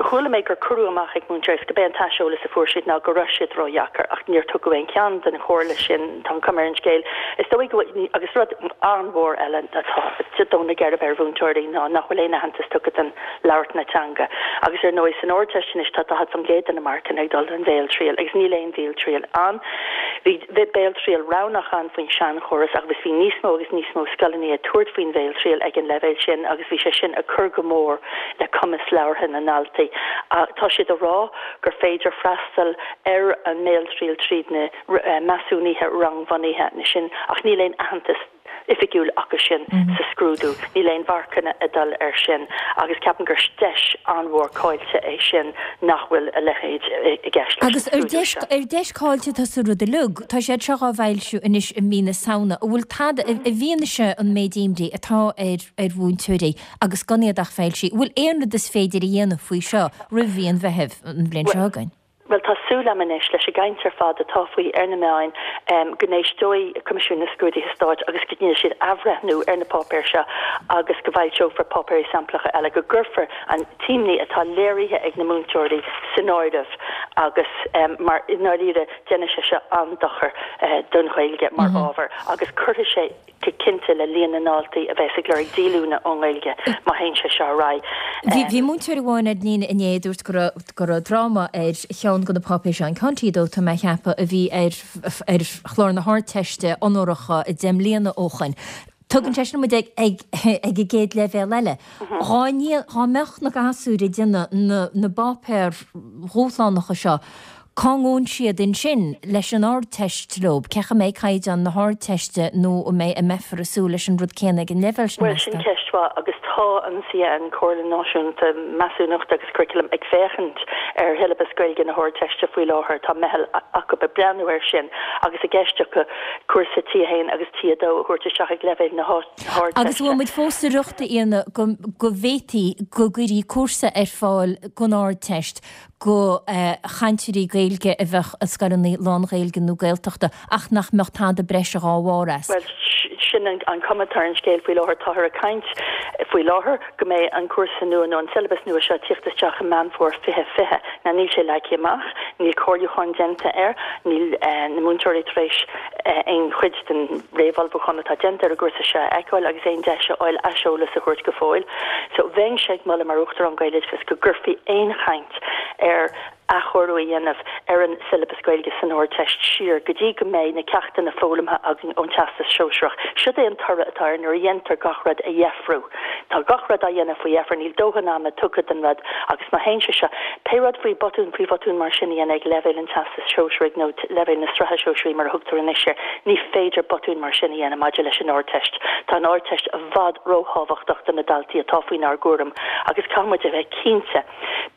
chuala mé gur cuireadh amach ag múinteoirí agus gurb é an t-aiseolas a fuair siad ná go raibh siad ródheacair ach níor tugadh aon cheann den chomhairle sin, tá an chuma ar an scéal. Is dóigh go bhfuil, agus rud an-mhór eile atá ag dó na geirbe ar mhúinteoirí ná nach bhfuil aon aitheantas tugtha don labhairt na teanga. Agus ar ndóigh san Ardteist anois tá daichead faoin gcéad de na marcanna ag dul don bhéaltriail agus níl aon bhéaltriail ann. Bhí béaltriail roghnach ann faoin seanchóras agus bhí níos mó agus níos mó scoileanna ag tabhairt faoin bhéaltriail ag an leibhéal sin agus bhí sé sin ag cur go mór le cumas labhartha na ndaltaí. Tá siad ag rá gur féidir freastal ar an mbéaltriail tríd na measúnuithe rangbhunaithe sin ach níl aon aitheantas oifigiúil acu sin sa scrúdú. Níl aon mharcanna ag dul air sin agus ceapaim gur deis an-mhór caillte é sin nach bhfuil a leithéid i gceist leis an Agus ar scrúdú deis seo. ar deis caillte atá sa rud uilig, tá siad seo á bhfoilsiú anois i mí na Samhna, an bhfuil tada, i bhfianaise an méid imní atá ar ar mhúinteoirí agus gan iad ach foilsithe, an bhfuil aon rud is féidir a dhéanamh faoi seo roimh mhí an Mheithimh an bhliain seo chugainn? Bhuel, tá súil agam anois, leis an gcaint ar fad atá faoi ar na meáin, go n-éisteoidh Coimisiún na Scrúduithe Stáit agus go ndéanfaidh siad athbhreithniú ar na páipéir seo agus go bhfoilseofar páipéirí samplacha eile, go gcuirfear an t-imní atá léirithe ag na múinteoirí san áireamh agus mar i ndáiríre déanfaidh sé seo an-dochar don Ghaeilge mar ábhar agus cuirfidh sé go cinnte le líon na ndaltaí a bheas ag lorg díolúine ón nGaeilge má théann sé seo ar aghaidh. Bhí múinteoir amháin ar líne inné a dúirt go raibh go raibh dráma ar cheann de na páipéir seo, an ceann T a dó tá mé a cheapadh, a bhí ar ar chlár na hArdteiste onóracha deich mbliana ó shoin. Tugann sé sin muid ag ag ag an gcéad leibhéal eile. Dhá dhá mbeadh na gasúir ag déanamh na na bpáipéar dhúshlánacha seo, Cá ngabhann siad ansin leis an Ardteist leo? Cén chaoi a mbeidh caighdeán na hArdteiste nó an mbeidh, an mbeifear ag súil leis an rud céanna ag an leibhéal sin, Bhuel, sin meas tú? ceist mhaith agus tá an CAN, Comhairle Náisiúnta Measúnachta agus Curaclaim, ag féachaint ar shiollabas Gaeilge na hArdteiste faoi láthair. Tá meitheal acu ag breathnú air sin agus i gceist acu cúrsa T a haon agus T a dó a thabhairt isteach ag leibhéal na Agus hArdteiste. bhfuil muid fós sa riocht, a Fhíona, go go bhféadfaí go gcuirí cúrsa ar fáil don Ardteist go chainteoirí Gaeilge a bheadh i scoileanna lán-Ghaeilge nó Gaeltachta ach nach mbeadh tada breise dhá bharr as. Bhuel, sin an cuma atá ar an scéal faoi láthair. Táthar ag caint faoi láthair go mbeidh an cúrsa nua nó an siollabas nua seo ag tíocht isteach i Meán Fómhair fiche fiche. Now níl sé leagtha amach, níl comhairliúchán déanta air, níl na múinteoirí tar éis aon chuid den réamhullmhúchán atá déanta ar an gcúrsa seo a fheiceáil agus aon deis a fháil aiseolas a thabhairt go fóill. So bheinnse ag moladh mar Uachtarán Gaeloideachas go gcuirfí aon chaint ar athchóiriú a dhéanamh ar an siollabas Gaeilge san Ardteist siar go dtí go mbeidh na ceachtanna foghlamtha againn ón Teastas Sóisearach. Siod é an toradh atá air nuair a dhéantar gach rud a dheifriú. Tá gach rud á dhéanamh faoi dheifir, níl dóthain ama tugtha don rud agus má théann sé seo, pé rud faoi botún faoi bhotún mar sin a dhéanamh ag leibhéal an Teastais Shóisearaigh nó leibhéal na Sraithe Sóisearaí mar a thugtar anois air, ní féidir botún mar sin a dhéanamh maidir leis an Ardteist. Tá an Ardteist i bhfad róthábhachtach do na daltaí atá faoinár gcúram agus caithfidh muid a bheith cinnte,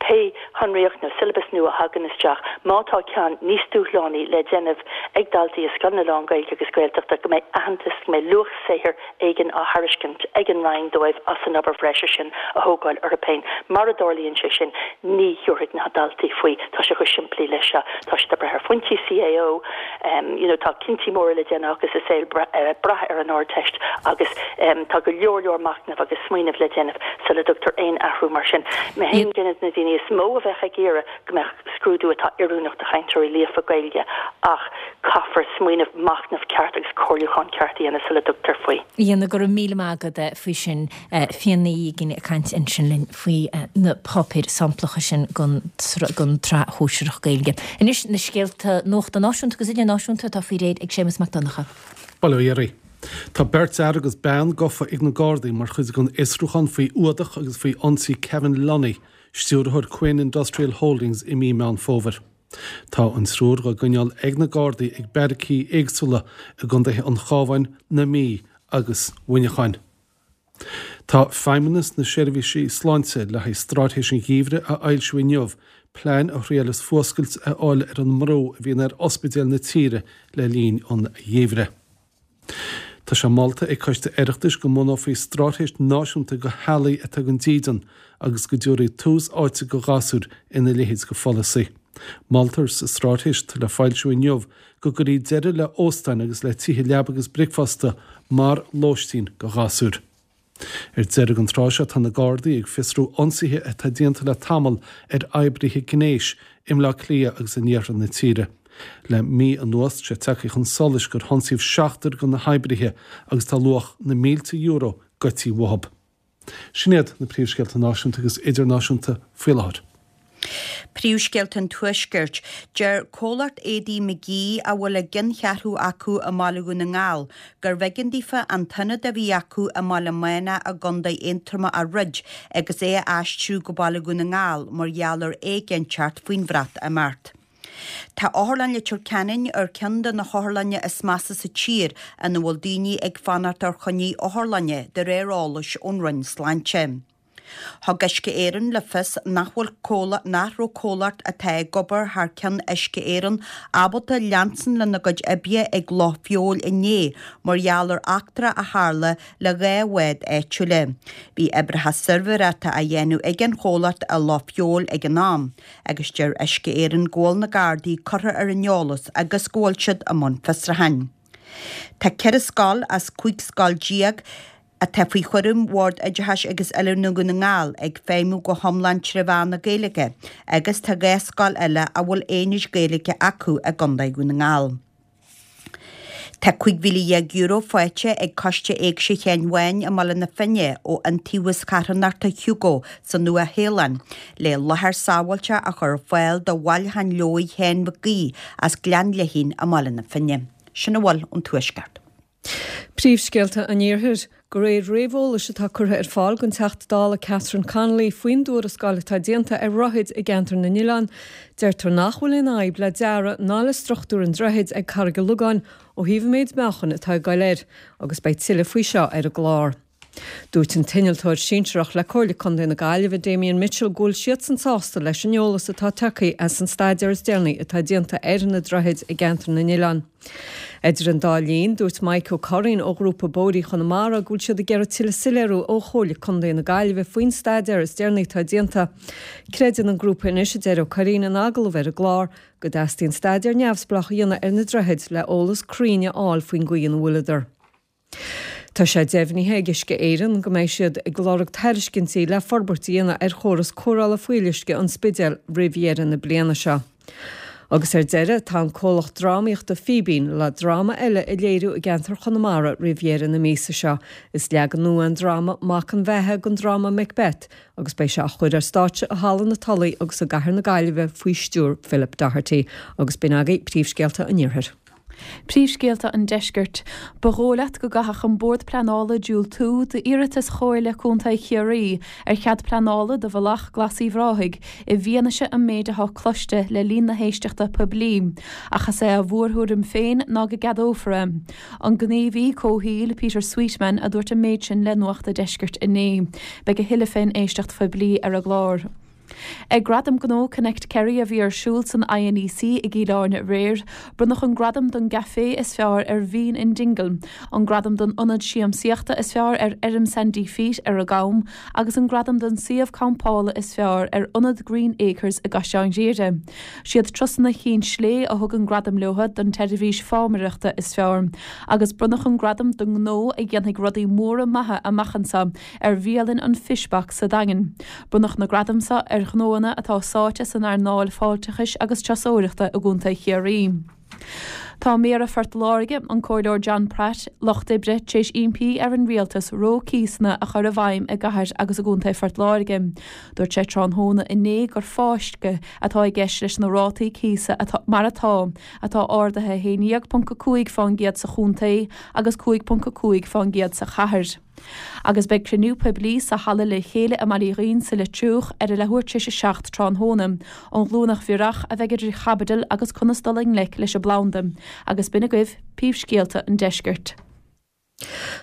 Pé shonraíocht nó siollabas nua a thagann isteach, má tá ceann níos dúshlánaí le déanamh ag daltaí i scoileanna lán-Ghaeilge agus Gaeltachta, go mbeidh aitheantas, go mbeidh luach saothair éigin á thairiscint ag an Roinn dóibh as an obair bhreise sin a thógáil orthu féin. Mara dtarlaíonn sé sin, ní thiúrfaidh na daltaí faoi. Tá sé chomh simplí leis seo. Tá siad ag brath ar phointí CAO, you know, tá cinntí móra le déanamh acu sa saol ag brath ar an Ardteist agus tá go leor leor machnaimh agus smaoinimh le déanamh sula dtugtar aon athrú mar sin. Mé féin duine de na daoine is mó a bheadh ag iarraidh go mbeadh scrúdú atá oiriúnach do chainteoirí líofa Gaeilge ach caithfear smaoineamh, machnamh ceart agus comhairliúchán ceart a dhéanamh sula dtugtar faoi. A Fhíona, go raibh míle maith agat faoi sin. Fíona Ní Uiginn ag caint ansin linn faoi na páipéir samplacha sin don tsraith shóisearach Gaeilge. Anois na scéalta nuachta náisiúnta agus idirnáisiúnta atá faoi réir ag Séamus Mac Donncha. Bail ó Dhia oraibh. Tá beirt fhear agus bean gafa ag na Gardaí mar chuid den fhiosrúchán faoi fhuadach agus faoi ionsaí Kevin Lunny, stiúrthóir Quinn Industrial Holdings i mí Meán Fómhair. Tá an triúr á gcoinneáil ag na Gardaí ag beairicí éagsúla i gcontaetha an Chabháin, na Mí agus Mhuineacháin. Tá Feidhmeannas na Seirbhísí Sláinte le haghaidh Straitéis an Gheimhridh a fhoilsiú inniu, plean a thriaileas fuascailt a fháil ar an mbrú a bhíonn ar ospidéil na tíre le linn an gheimhridh. Tá sé molta ag Coiste Oireachtais go mbunófaí straitéis náisiúnta do theaghlaigh atá gan dídean agus go dtabharfaí tús áite do ghasúir ina leithéid de pholasaí. Moltar sa straitéis atá le foilsiú inniu go gcuirfí deireadh le hóstáin agus le tithe leaba agus bricfeasta mar lóistín do ghasúir. Ar deireadh an tráth seo tá na Gardaí ag fiosrú ionsaithe atá déanta le tamall ar oibrithe gnéis i mBleá Cliath agus in iarthar na tíre. Le mí anuas tá sé tagtha chun solais gur hionsaíodh seachtar de na hoibrithe agus tá luach na mílte euro goidte uathu. Sin iad na príomhscéalta náisiúnta agus idirnáisiúnta faoi láthair. Príomhscéalta an Tuaiscirt. Deir comhlacht éadaí McGee, a bhfuil a gceanncheathrú acu i mBaile Dhún na nGall, gurbh éigean daofa an t-ionad a bhí acu i mBaile Meána i gContae Aontroma a dhruid agus é a aistriú go Baile Dhún na nGall mar gheall ar éiginnteacht faoin Bhreatimeacht. Tá Otharlann Leitir Ceanainn ar cheann de na hotharlanna is measa sa tír ina bhfuil daoine ag fanacht ar choinní otharlainne, de réir eolais ón Roinn Sláinte. Thug Uisce Éireann le fios nach bhfuil comhlacht nach raibh comhlacht atá ag obair thar ceann Uisce Éireann ábalta leanstan lena gcuid oibre ag Loch Feabhail inné mar gheall ar eachtra a tharla le dhá bhád áitiúla. Bhí oibreacha suirbhéireachta á dhéanamh ag an chomhlacht i Loch Feabhail ag an am, agus deir Uisce Éireann go bhfuil na Gardaí curtha ar an eolas agus go bhfuil siad i mbun fiosrúcháin. Tá ceithre scoil as cúig scoil déag atá faoi chúram Bhord Oideachais agus Oiliúna Dhún na nGall ag feidhmiú go hiomlán trí mheán na Gaeilge agus tá dhá scoil eile a bhfuil aonaid Gaeilge acu i gContae Dhún na nGall. Tá cúig mhíle dhéag euro faighte ag Coiste Éigse Sheáin Bháin i mBaile na Finne ó Iontaobhas Carthanachta Hugo sa Nua-Shéalainn le láthair sábháilte a chur ar fáil do bhailiúchán leabhar Sheáin Mhic Aoidh as Gleann Leithín i mBaile na Finne. Sin a bhfuil ón Tuaisceart. Príomhscéalta an Iarthair, De réir réamheolais atá curtha ar fáil don Teachta Dála Catherine Connolly faoin dtuarascáil atá déanta ar dhroichid i gceantar na nOileán, deirtear nach bhfuil aon fhadhb le dearadh ná le struchtúr an droichid ag Carraig an Logáin ó thaobh an méid meáchain atá ag goil air, agus beidh tuilleadh faoi seo ar an gclár. Dúirt an t-innealtóir sinsearach le Comhairle Contae na Gaillimhe, Damien Mitchell, go bhfuil siadsan sásta leis an eolas atá tagtha as an staidéar is deireanaí atá déanta ar na droichid i gceantar na n-oileán. Idir an dá linn, dúirt Mike Ó Curraoin ó Ghrúpa Bóithre Chonamara go bhfuil siad ag iarraidh tuilleadh soiléiriú ó Chomhairle Contae na Gaillimhe faoin staidéar is deireanaí atá déanta. Creideann an grúpa anois, a deir Ó Curraoin in agallamh ar an gclár, go dteastaíonn staidéar neamhspleách a dhéanamh ar na droichid le eolas cruinn a fháil faoin gcaoi ina bhfuileadar. Tá sé deimhnithe ag Uisce Éireann go mbeidh siad ag lorg tairiscintí le forbairt a dhéanamh ar chóras cóireála fuíolluisce an Spidéil roimh dheireadh na bliana seo. Agus ar deireadh, tá an comhlacht drámaíochta Fíbín le dráma eile a léiriú i gceantar Chonamara roimh dheireadh na míosa seo. Is leagan nua an dráma Mac an Bheatha den dráma Macbeth agus beidh sé á chur ar stáitse i Halla na Tulaí agus i gCathair na Gaillimhe faoi stiúir Philip Doherty. Agus b'in agaibh príomhscéalta an Iarthair. Príomhscéalta an Deiscirt. Ba dhóigh leat go gcaithfeadh an Bord Pleanála diúltú d'iarratas Chomhairle Contae Chiarraí ar chead pleanála do Bhealach Glas Uíbh Ráthaigh i bhfianaise an méid atá cloiste le linn na héisteachta poiblí, ach is é a mhórthuairim féin ná go gceadófar é. An gníomhaí comhshaoil Peter Sweetman a dúirt an méid sin le Nuacht a' Deiscirt inné. Beidh a thuilleadh fén éisteacht phoiblí ar an gclár. Ag Gradaim Gnó Connect Kerry a bhí ar siúl san INEC i gCill Airne aréir, bronnadh an gradam don gcaifé is fearr ar Bhean in Dingle, an gradam don ionad siamsaíochta is fearr ar Fheirm Sandy Feet ar an gCam agus an gradam don suíomh campála is fearr ar Ionad Green Acres i gCaisleán Ghriaire. Siad Turasanna Chinn Slé a thug an gradam leo don tseirbhís fámaireachta is fearr agus bronnadh an gradam don ngnó a dhéanfaidh rudaí móra maithe amach anseo ar bhialann an Fish Box sa Daingean. Bronnadh na gradaim seo ar ghnóanna atá sáite san earnáil fáilteachais agus turasóireachta i gContae Chiarraí. Tá Méara Phort Láirge, an Comhairleoir John Pratt, Lucht Oibre, tar éis impí ar an Rialtas reo cíosanna a chur i bhfeidhm i gcathair agus i gContae Phort Láirge. Dúirt sé tráthnóna inné gur fáisceadh atá i gceist leis na rátaí cíosa atá mar atá, atá ardaithe a haon déag ponc a cúig fán gcéad sa chontae agus cúig ponc a cúig fán gcéad sa chathair. Agus beidh cruinniú poiblí sa halla Le Chéile i mBaile Uí Dhuinn sa Leitriúch ar a leathuair tar éis a seacht tráthnóna. An Ghlúineach Bhiorach a bheidh idir chaibidil agus conas dul i ngleic leis an bplanda. Agus b'in agaibh príomhscéalta an deiscirt.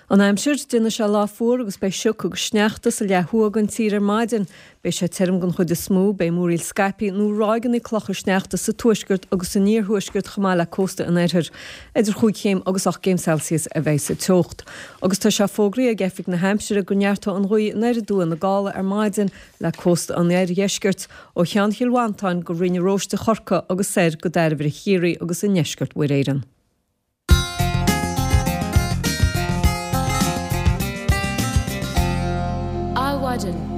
An aimsir, Déanfaidh sé lá fuar agus beidh sioc agus sneachta sa leath thuaidh den tír ar maidin. Beidh sé tirim den chuid is mó, beidh múraíl scaipthe nó ráigeanna clocha sneachta sa tuaisceart agus san iarthuaisceart chomh maith le cósta an oirthir. Idir chúig chéim agus ocht gcéim Celsius a bheidh sa teocht. Agus tá sé fógraithe ag Oifig na hAimsire go neartóidh an ghaoth anoir aduaidh na gála ar maidin le cósta an oirdheiscirt, ó Cheann Chill Mhantáin go Rinn an Róiste Chorcaí agus soir go Dairbhre Chiarraí agus i ndeisceart Mhuir Éireann. Adhmhaidin.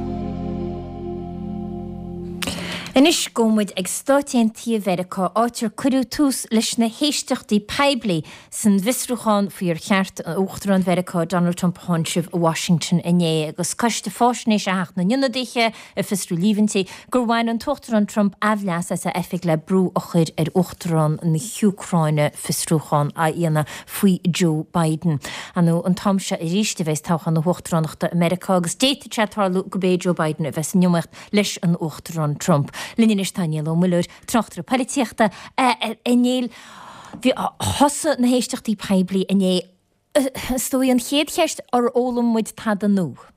Anois gabhfaidh muid ag Stáit Aontaithe Mheiriceá, áit ar cuireadh tús leis na héisteachtaí poiblí san bhfiosrúchán faoi ar cheart Uachtarán Mheiriceá Donald Trump a tháinseamh i Washington inné agus Coiste Faisnéise Theach na nIonadaithe ag fiosrú líomhaintí gur bhain an tUachtarán Trump aimhleas as a oifig le brú a chur ar Uachtarán na hÚcráine fiosrúchán a dhéanamh faoi Joe Biden. Ar ndóigh, an t-am seo arís a bheas toghchán na huachtaránachta i Meiriceá agus d'fhéadfadh sé tarlú gurb é Joe Biden a bheas in iomaíocht leis an Uachtarán Trump. Linn anois tá Niall Ó Muilleoir, tráchtaire polaitíochta. A Néill, bhí thosaigh na héisteachtaí poiblí inné. Is dóigh an chéad cheist, ar fhoghlaim muid tada nua?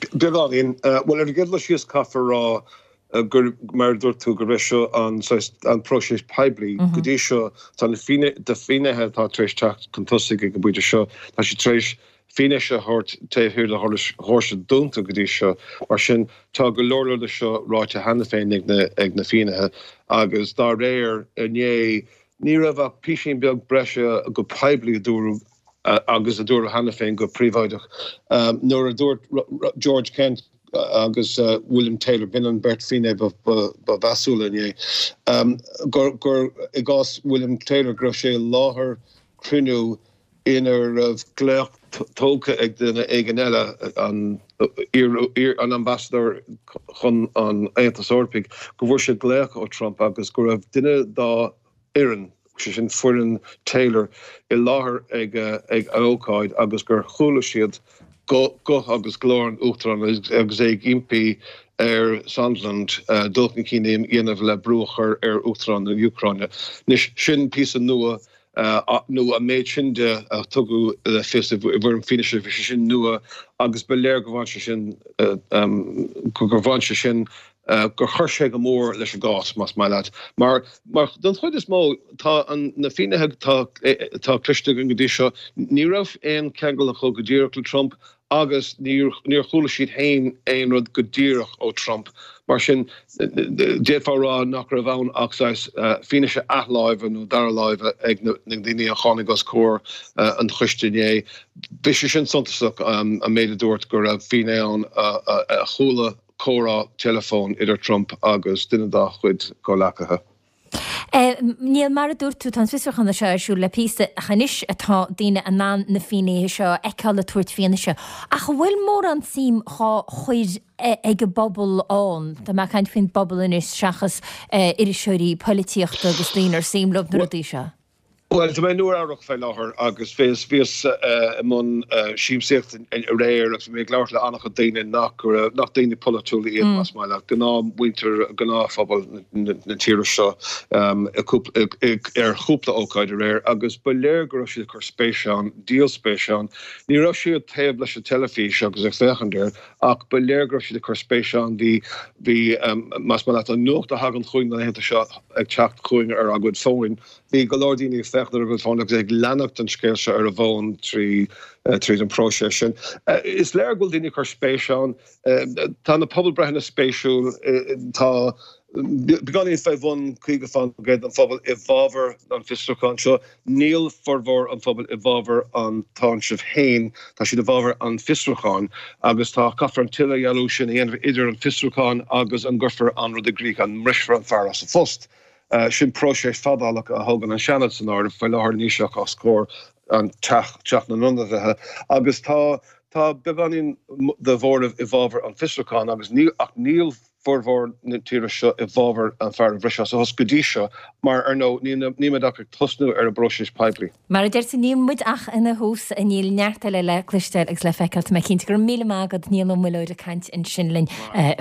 Beagáinín. Bhuel, ar an gcéad dul síos caithfear a rá gur, mar a dúirt tú, gurb é seo an saghas, an próiseas poiblí. Go dtí seo, tá na finnéithe atá tar éis teacht chun tosaigh ag an bpointe seo, tá siad tar éis fianaise a thabhairt taobh thiar de dhoirse dúnta go dtí seo. Mar sin, tá go leor leor de seo ráite cheana féin ag na ag na finnéithe agus dá réir, inné, ní raibh ach písín beag breise go poiblí a dúradh agus a dúradh cheana féin go príobháideach nuair a dúirt George Kent agus William Taylor, b'in an bheirt finné ba mheasúla inné, gur gur i gcás William Taylor go raibh sé i láthair cruinniú ina raibh glaoch tógtha ag duine éigin eile, an an Ambasadóir chun an Aontais Eorpaigh, go bhfuair sé glaoch ó Trump agus go raibh duine dá fhoireann, sé sin foireann Taylor, i láthair ag an ócáid agus gur chuala siad guth agus glór an Uachtaráin agus é ag impí ar Sondland dul chun cinn a dhéanamh le brú a chur ar Uachtarán na Úcráine. Anois, sin píosa nua nó an méid sin de a tugadh le fios i bhfoirm fianaise, bhí sé sin nua agus ba léir gur bhain sé sin gur bhain sé sin gur chuir sé go mór leis an gcás, más maith leat. Mar mar don chuid is mó, tá an na finnéithe atá atá cloiste againn go dtí seo, ní raibh aon cheangal acu go díreach le Trump agus níor níor chuala siad féin aon rud go díreach ó Trump. Mar sin, d'fhéadfá a rá nach raibh ann ach saghas fianaise athláimhe nó dara láimhe ag na daoine a tháinig os comhair an choiste inné. Bhí sé sin suntasach, an méid a dúirt go raibh finné ann a chuala comhrá teileafóin idir Trump agus duine dá chuid comhleacaithe. Niall, mar a dúirt tú, tá an fiosrúchán seo ar siúl le píosa ach anois atá daoine in ann na finnéithe seo a fheiceáil ag tabhairt fianaise. Ach an bhfuil mórán suim dhá chur ag an bpobal ann? Tá mé ag caint faoin bpobal anois seachas iriseoirí polaitíochta agus daoine ar suim leo na rudaí seo. Bhuel, tá mé i Nua-Eabhrac fé láthair agus bhíos, bhíos i mbun siamsaíochta aréir agus bhí mé ag labhairt le an-chuid daoine nach raibh, nach daoine polaitiúla iad, más maith leat, gnáthmhuintir, gnáthphobal na tíre seo ar chúpla ócáid aréir agus ba léir go raibh siad ag cur spéise ann, díol spéise ann. Ní raibh siad taobh leis an teilifís agus ag féachaint air ach ba léir go raibh siad ag cur spéise ann. Bhí, bhí, más maith leat, an nuacht a thagann chugainn na laethanta seo ag teacht chugainn ar ár gcuid fóin, Bhí go leor daoine ag féachaint ar a gcuid fón agus ag leanacht an scéil seo ar a bhfón trí tríd an próiseas sin. Is léir go bhfuil daoine ag cur spéise ann. Tá na pobalbreitheanna spéisiúil. Tá beagáinín fé bhun caoga faoin gcéad den phobal i bhfabhar an fiosrúcháin seo. Níl formhór an phobail i bhfabhar an táinsimh féin. Tá siad i bhfabhar an fiosrúcháin agus tá caithfear an t-idirdhealú sin a dhéanamh idir an fiosrúchán agus an gcuirfear an rud i gcrích, an mbrisfear an fear as a phost. Sin próiseas fadálach a thógann an Seanad san áireamh. Faoi láthair níl sé ach os comhair an Teach, Teach na nIonadaithe, agus tá tá beagáinín de mhóramh i bhfabhar an fiosrúcháin agus níl ach níl formhór na tíre seo i bhfabhar an fear a bhriseadh as a phost go dtí seo mar, ar ndóigh, níl níl muid ach ag tosnú ar an bpróiseas poiblí. Mar a deir tú, níl muid ach ina thús, níl neart eile le cloisteáil agus le feiceáil. Tá mé cinnte. Go raibh míle maith agat, Niall Ó Muilleoir ag caint ansin linn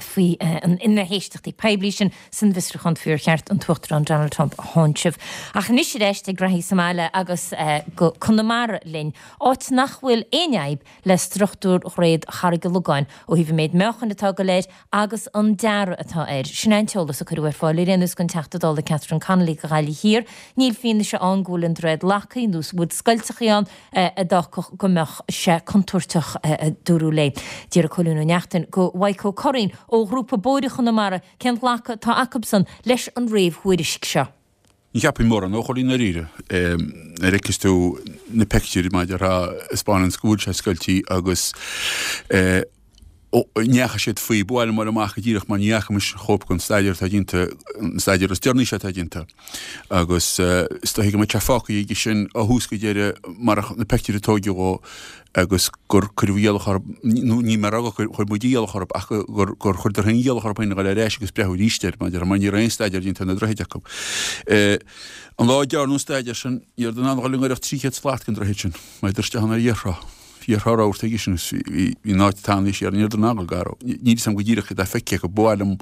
faoi na héisteachtaí poiblí sin. san bhfiosrúchán faoi ar cheart an tUachtarán Donald Trump a tháinseamh. Ach anois ar ais ag graithí sa mbaile agus go Conamara linn, áit nach bhfuil aon fhadhb le struchtúr Dhroichead Charraig an Logáin ó thaobh an méid meáchain atá ag dul air agus an dearadh atá air. Sin é an t-eolas a cuireadh ar fáil ar aon nós don Teachta Dála Catherine Connolly do Ghaillimh Thiar. Níl fianaise ann go bhfuil an droichead lactha nó go bhfuil scoilteachaí ann a d'fhágfadh go mbeadh sé contúirteach, a dúradh léi. D'iarr Cóilín Ó Neachtain go Mhaidhc Ó Curraoin ó Ghrúpa Bóithre Chonamara cén glacadh atá acubsan leis an réamhthuairisc seo. Ní cheapfainn mórán a Chóilín i ndáiríre. Nuair a fheiceas tú na peictiúirí mar a déarfá a 'spáineanns go bhfuil sé scoiltí agus ndeachaigh siad faoi, ba mhaith liom a fháil amach go díreach mar ní fhaca mise chóip den staidéar atá déanta, an staidéar is deireanaí seo atá déanta. Agus is dóichí go mbeadh sé fágtha aige sin ó thús go deireadh marach na peictiúirí a tóigeadh dhó agus gur cuireadh iallach orthu, nó ní mé a rá gur chuir muid iallach orthu, ach gur gur chuireadar féin iallach orthu féin a dhul ar ais agus breathnú arís air, mar mar ní raibh aon staidéar déanta ar na droichid acu. An lá a dearnadh an staidéar sin, ní raibh in ann a dhul i ngiorracht trí chéad slat den droichead sin, maidir isteach ann ar iarshrá. Bhí ar rabhadh aige sin agus bhí an áit tanaí siar in Iarthar na Gaillimhe. Níl 'fhios a'm go díreach céard atá feicthe acu. Ba mhaith liom,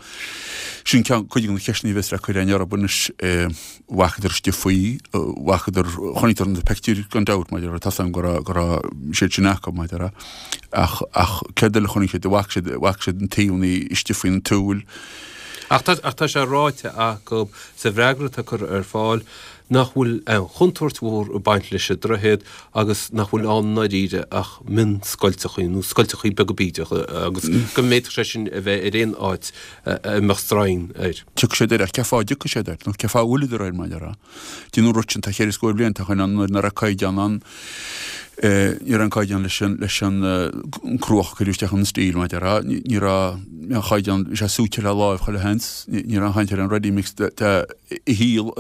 sin ceann, cuid de na ceisteanna a bheas le cur againn orthu anois, bhfacadar istigh faoi, bhfacadar, chonaiceadar na peictiúir gan dabht maidir le, tá 'fhios a'm go raibh, go raibh siad sin acu maidir le, ach, ach céard eile a chonaic siad, bhfaca siad, bhfaca siad na taobhanna istigh faoin tsúil. Ach tá, ach tá sé ráite acu sa bhfreagra atá curtha ar fáil nach bhfuil aon chontúirt mhór ag baint leis an droichead agus nach bhfuil ann i ndáiríre ach mionscoilteachaí nó scoilteachaí beaga bídeacha agus go bhféadfadh sé sin a bheith ar aon áit a mbeadh stroighin air. Tiocfaidh siad air ach cén fáth a dtiocfaidh siad air nó cén fáth a bhfuileadar air mar a déarfá. Deineadh an rud sin tá cheithre scór bliain tá chun an nuair nach raibh caighdeán ann Ní raibh an caighdeán leis an leis an cruach a cuireadh isteach an stíl mar a déarfá. Ní raibh an chaighdeán, bhí sé súite le láimh chuile sheans. Ní raibh aon chaint ar an ready mix a shíl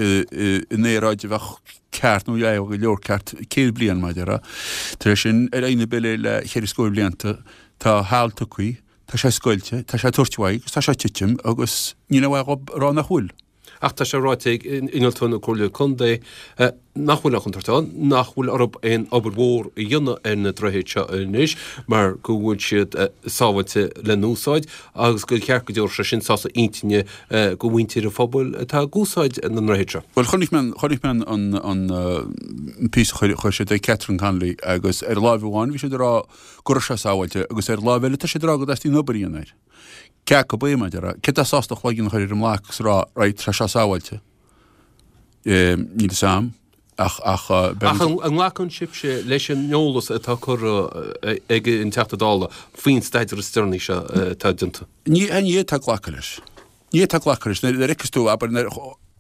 in aeráid a bheadh ceart nó go leor ceart céad bliain mar a déarfá. Tar éis sin ar aghaidh na bile le cheithre scór blianta tá seal tugtha, tá sé scoilte, tá sé ag tabhairt uaidh agus tá sé ag titim agus níl aon mhaith dhób a rá nach bhfuil. Ach tá sé ráite ag innealtóir na Comhairle Contae nach bhfuil aon chontúirt ann, nach bhfuil orthu aon obair mhór a dhéanamh ar na droichid seo anois mar go bhfuil siad sábháilte le n-úsáid agus gur cheart go dtabharfadh sé sin sásamh intinne do mhuintir an phobail atá ag úsáid na ndroichead seo. Bhuel, chonaic mé, chonaic mé an, an, an píosa a chuir, chuir siad ag Catherine Connolly agus ar láimh amháin bhí siad ag rá go raibh sé sábháilte agus ar láimh eile tá siad ag rá go dteastaíonn obair a dhéanamh air. Cé acu é, mar a déarfá, cé atá sásta a chloigeann a chur ar an mblac agus a rá, right, tá sé sábháilte. Níl fhios a'm, ach, ach, beidh Ach an nglacann sibhse leis an eolas atá curtha ag an Teachta Dála faoin staidéar is deireanaí seo atá déanta? Ní, ní fhéadfá glacadh leis. Ní fhéadfá glacadh leis. Nuair a fheiceas tú, abair, nuair a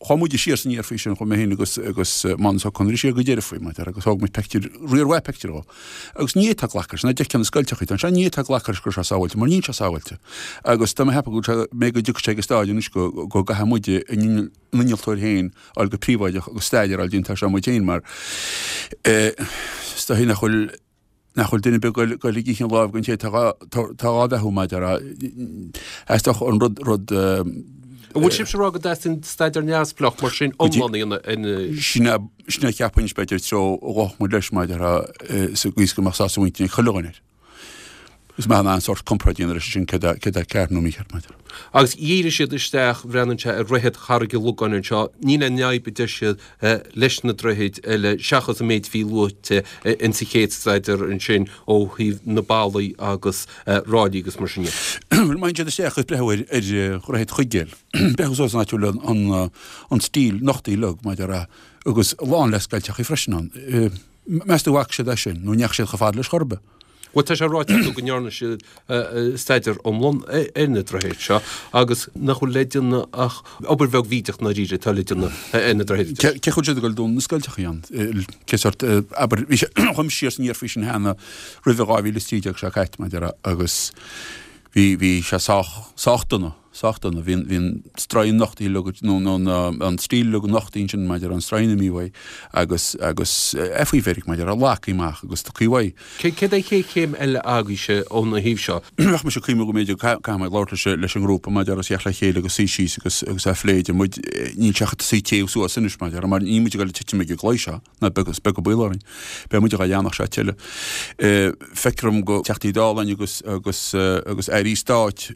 chuaigh muide siar is aniar faoi sin, chuaigh mé féin agus, agus Mánus Ó Conaire siar go deireadh faoi, mar a déarfá, agus thóg muid peictiúir, riar mhaith peictiúr dhó. Agus ní fhéadfá glacadh leis, nuair a d'fheicfeá na scoilteachaí, tá sé, ní fhéadfá glacadh leis go raibh sé sábháilte, mar níl sé sábháilte. Agus tá mé ag ceapadh go bhfuil sé, mé go dtiocfaidh sé ag an stáid anois go, go gcaithfidh muide an innealtóir féin a fháil go príobháideach agus staidéar a fháil déanta air seo muid féin mar eh, is dóichí nach bhfuil, nach bhfuil duine ar bith ag goil ag ithe an láimh den té atá dhá bheathú mar a déarfá. Theastódh an rud, rud. An bhfuil sibhse ag rá go dteastaíonn staidéar neamhspleách mar sin iomlán a dhéanamh ar na. Sin é, sin é cheapfainn b'fhéidir treo a ghabhfadh muid leis mar a déarfá sa gcaoi is go mbeadh sásamh intinne ag chuile dhuine air. Is maith an sórt comparáid a dhéanamh leis sin céard atá ceart nó mícheart mar a déarfá. Agus dhírigh siad isteach, bhreathnaíonn sé ar dhroichead Charraig an Logáin anseo, níl aon fhadhb a deir siad leis na droichid eile seachas an méid a bhí luaite in sa chéad staidéar ansin ó thaobh na ballaí agus ráillí agus mar sin de. Bhuel, má théann siad isteach agus breathnú ar dhroichead Chuigéil, breathnú suas an áit a bhfuil an stíl nochtaithe uilig, mar a déarfá, agus lán le scoilteachaí freisin ann. Meas tú an bhfaca siad é sin nó an ndeachaigh siad chomh fada leis chor ar bith? Bhuel, tá sé ráite acu go ndearna siad staidéar iomlán ar na droichid seo agus nach bhfuil le déanamh ach obair bheag bhídeach i ndáiríre atá le déanamh ar na droichid. Cé chaoi bhfuil siad ag dul dúnadh na scoilteachaí ann? Cé sórt, abair, bhí sé, chuaigh mise siar is aniar faoi sin cheana roimhe dhá mhíle is trí déag seo caite, mar a déarfá, agus bhí, bhí sé sách, sách dona. Sách dona. Bhí an stroighin nochtaithe uilig, nó an stíl uilig nochtaithe ansin maidir an stroighin imithe uaidh agus agus é faoi mheirg maidir a leagtha amach agus tugtha uaidh. Céard é an chéad chéim eile agaibhse óna thaobh seo? Bheadh mise ag cuimhniú go mb'fhéidir caithfidh mé labhairt leis leis an ngrúpa maidir agus theacht le chéile agus suí síos agus agus a phlé idir muid. Níl sé ach ag tosaí téamh suas anois maidir mar níl muid ag dul ag titim ag an gclaí seo ná beag is beag an baol orainn. Beidh muid dhá dhéanamh seo tuilleadh. Feictear dom go Teachtaí Dála agus agus agus Airí Stáit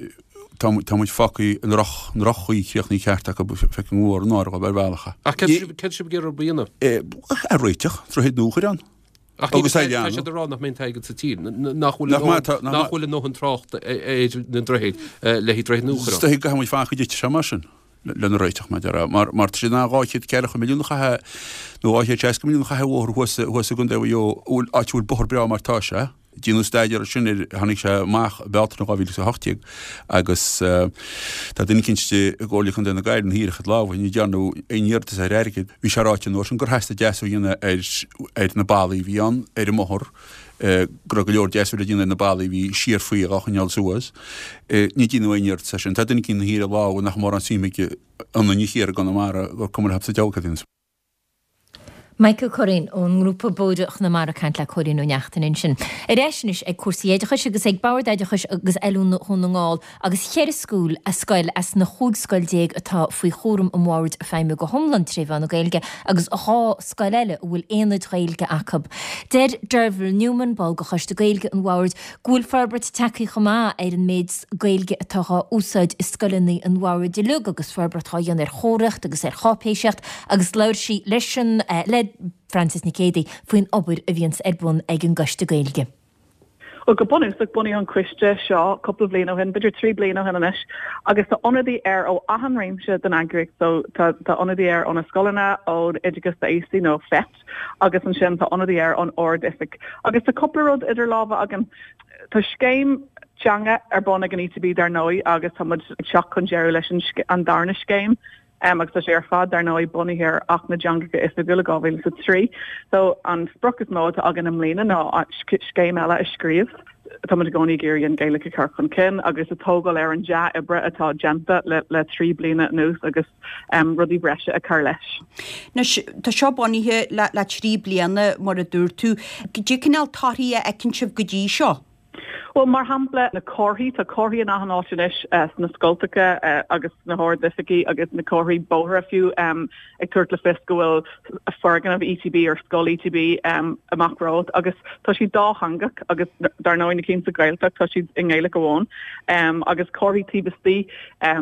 Tá muid fágtha i ndroch-chaoi críochnaithe ceart acu, feicim go mór náire dhóibh ar bhealach. Ach céard tá sibh ag iarraidh a dhéanamh? É a réiteach, droichead nua a chur ann. Ach tá siad ag rá nach mbeidh an t-airgead sa tír, nach bhfuil nach bhfuil a ndóthain tráchta ar na droichid le haghaidh droichead nua a chur ann. Is dóigh go gcaithfidh muid fanacht go dtitfidh sé mar sin lena réiteach, mar a déarfá, mar tá siad in ann dhá chéad ceathracha milliún a chaitheamh nó dhá chéad seasca milliún a chaitheamh ar bhóthar thuas i gContae Mhaigh Eo, áit a bhfuil bóthar breá mar tá sé. Déanadh staidéar air sin ar tháinig sé amach i Bealtaine dhá mhíle is a hocht déag agus tá duine eicínt i gComhairle Contae na Gaillimhe thiar a chuid lámha, ní dhearnadh aon iarratas ar airgead. Bhí sé ráite an uair sin gur theastaigh deasú a dhéanamh ar ar na ballaí a bhí ann ar an mbóthar, go raibh go leor deasú le déanamh ar na ballaí a bhí siar faoi dhá choinneáil suas. Ní deineadh aon iarratas air sin. Tá duine eicínt thiar i lámha nach mórán suim aige ionainn thiar i gConamara gur cuma leob sa diabhal cad a dhéanfas. Michael Curran ón ngrúpa Bóithre Chonamara ag caint le Cóilín Ó Neachtain ansin. Ar ais anois ag cúrsaí oideachais agus ag Bord Oideachais agus Oiliúna Dhún na nGall agus cheithre school a scoil as na chúig scoil déag atá faoi chúram an bhoird ag feidhmiú go hiomlán tré mheán na Gaeilge agus dhá scoil eile a bhfuil aonaid Ghaeilge acu. Deir Derval Newman, ball de Choiste Gaeilge an bhoird, go bhfuil forbairt tagtha chomh maith ar an méid Gaeilge atá á úsáid i scoileanna an bhoird uilig agus forbairt á dhéanamh ar chomharthaíocht agus ar cháipéisíocht agus labhair sí leis an le Frances Nic Géadaigh faoin obair a bhíonns ar bun ag an gCoiste Gaeilge. Bhuel, go bunúsach, bunaíodh an coiste seo cúpla bliain ó shin, b'fhéidir trí bliana ó shin anois, agus tá ionadaí air ó achan réimse den eagraíocht. So tá tá ionadaí air ó na scoileanna, ón oideachas d'aosaigh nó FET, agus ansin tá ionadaí air ón Ard-Oifig. Agus tá cúpla rud idir lámha againn. Tá scéim teanga ar bun ag an ETB dar ndóigh agus tá muid ag teacht chun deireadh leis an an darna scéim. agus tá sé ar fad dar ndóigh bunaithe ar Acht na dTeangacha Oifigiúla dhá mhíle is a trí. So an sprioc is mó atá againn i mbliana ná scéim eile a scríobh. Tá muid i gcónaí ag iarraidh an Ghaeilge a chur chun cinn agus ag tógáil ar an dea-oibre atá déanta le le trí bliana anuas agus rudaí breise a chur leis. Anois, tá seo bunaithe le le trí bliana mar a dúirt tú. Cad é cineál torthaí a fheiceann sibh go dtí seo? Bhuel, mar shampla, na comharthaí, tá comharthaí in achan áit anois sna scoltacha agus sna hard-oifigí agus na comharthaí bóithre fiú ag tabhairt le fios go bhfuil foirgneamh ETB or scoil ETB amach romhat agus tá siad dátheangach agus dar ndóigh na cinn sa Ghaeltacht tá siad i nGaeilge amháin agus comharthaí taobh istigh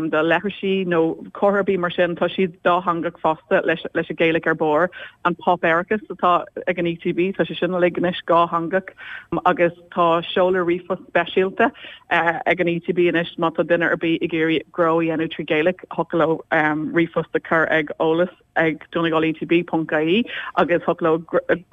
de leithrisí nó comhartha ar bith mar sin tá siad dátheangach fosta leis leis an Ghaeilge ar barr. An páipéarachas atá ag an ETB tá sé sin uilig anois dátheangach agus tá seoladh ríomhphost speisialta ag an ETB anois má tá duine ar bith ag iarraidh gnó a dhéanamh trí Ghaeilge, thiocfadh leo ríomhphost a chur ag eolas ag donegal ETB ponc ie agus thiocfadh leo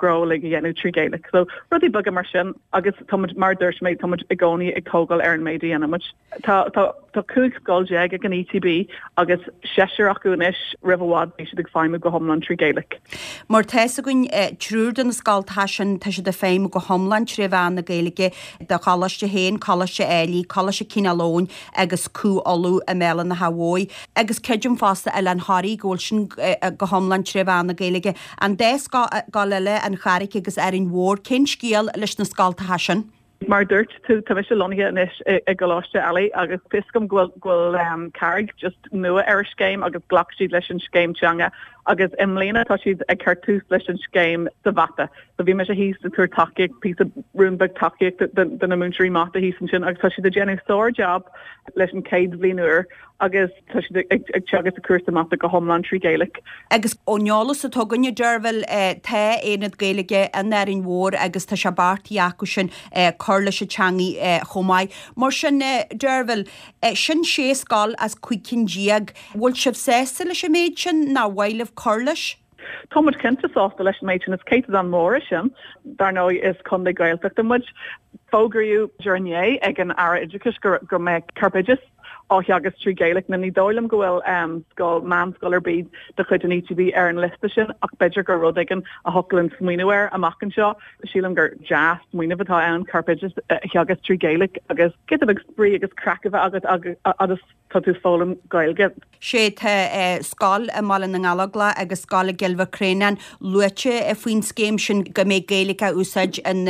gnó uilig a dhéanamh trí Ghaeilge. So rudaí beaga mar sin agus tá muid, mar a dúirt mé, tá muid i gcónaí ag tógáil ar an méid a dhéanann muid. Tá tá tá cúig scoil déag ag an ETB agus seisear acu anois roimh i bhfad beidh siad ag feidhmiú go hiomlán trí Ghaeilge. Mar tá fhios againn, triúr de na scoltacha sin, tá siad ag feidhmiú go hiomlán tré mheán na Gaeilge, do choláiste féin, Coláiste Ailigh, Coláiste Cineál Eoghain agus Cú Uladh i mBéal an Átha Bhuí. Agus creidim fosta Oileán Thoraí go bhfuil sin go hiomlán tré mheán na Gaeilge. An dá scoil eile, An Charraig agus Árainn Mhór, cén scéal leis na scoltacha sin? Mar a dúirt tú, tá mise lonnaithe anois i gColáiste Ailigh agus fios agam go bhfuil go bhfuil Carraig just nua ar an scéim agus ghlac siad leis an scéim teanga agus i mbliana tá siad ag cur tús leis an scéim sa mhata. So bhí mise thíos ag tabhairt tacaíocht, píosa rún beag tacaíochta do na múinteoirí mata thíos ansin agus tá siad ag déanamh sár-jab leis an chéad bhliain úr agus tá siad ag teagasc cúrsa mata go hiomlán trí Ghaeilge. Agus ón eolas atá againn, a Deirbhile, tá aonad Gaeilge in Árainn Mhór agus tá sé beartaithe acu sin cur leis an teangaidh chomh maith. Mar sin, Deirbhile, sin sé scoil as cúig cinn déag. Bhfuil sibh sásta leis an méid sin nó ar mhaith libh cur leis? Tá muid cinnte sásta leis an méid sin, is céatadán mór é sin. Dar ndóigh is contae Gaeltachta muid. Fógraíodh inné ag an Aire Oideachais go mbeadh corpoideachas á theagasc trí Ghaeilge. Now ní dóigh liom go bhfuil scoil, meánscoil ar bith de chuid an ETB ar an liosta sin ach b'fhéidir gur rud éigin a thiocfadh linn smaoineamh air amach anseo. Sílim gur dea-smaoineamh atá ann corpoideachas a theagasc trí Ghaeilge agus giota beag spraoi agus craic a bheith agat agus tá tú ag foghlaim Gaeilge. Sé tá scoil i mBaile na nGallóglach agus scoil i gCill Mhic Réanáin luaite faoin scéim sin go mbeidh Gaeilge á úsáid in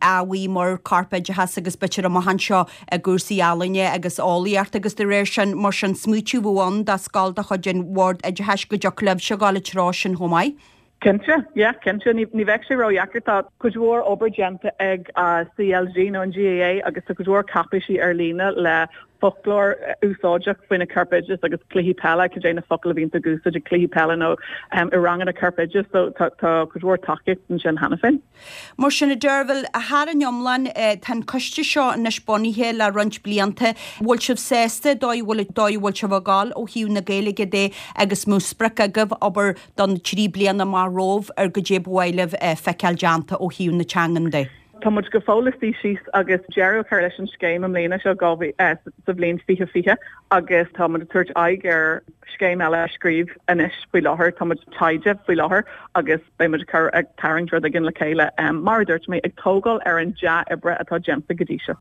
ábhair mar corpoideachas agus b'fhéidir amach anseo i gcúrsaí ealaíne agus eolaíochta agus de réir sin mar sin smaoitiú a bheadh ann do scoil de chuid an Bhord Oideachais go dtiocfadh libhse a ghabháil an treo sin chomh maith. Cinnte, yeah, cinnte. Ní bheadh sé ródheacair. Tá cuid mhór obair déanta ag CLG nó an GAA agus tá cuid mhór cáipéisí ar líne le foclóir úsáideach faoi na corpoideachas agus cluichí peile, cad é na focail a bhíonn ag úsáid ag cluichí peile nó i ranganna corpoideachas. So tá cuid mhór tacaíocht ansin cheana féin. Mar sin, a Deirbhile, thar an iomlán, tá an coiste seo anois bunaithe le roinnt blianta. Bhfuil sibh sásta dóigh a bhfuil dóigh a bhfuil sibh ag gabháil ó thaobh na Gaeilge de agus mbeadh sprioc agaibh, abair, don trí bliana amach romhaibh ar goidé ba mhaith libh feiceáil déanta ó thaobh na teangan de? Tá muid go fóill ag suí síos agus deireadh a chur leis an scéim i mbliana seo dhá sa bhliain fiche fiche agus tá muid ag tabhairt aghaidh ar scéim eile a scríobh anois faoi láthair. Tá muid taighde faoi láthair agus beidh muid ag cur ag tarraingt rud éigin le chéile mar a dúirt mé ag tógáil ar an dea-oibre atá déanta go dtí seo.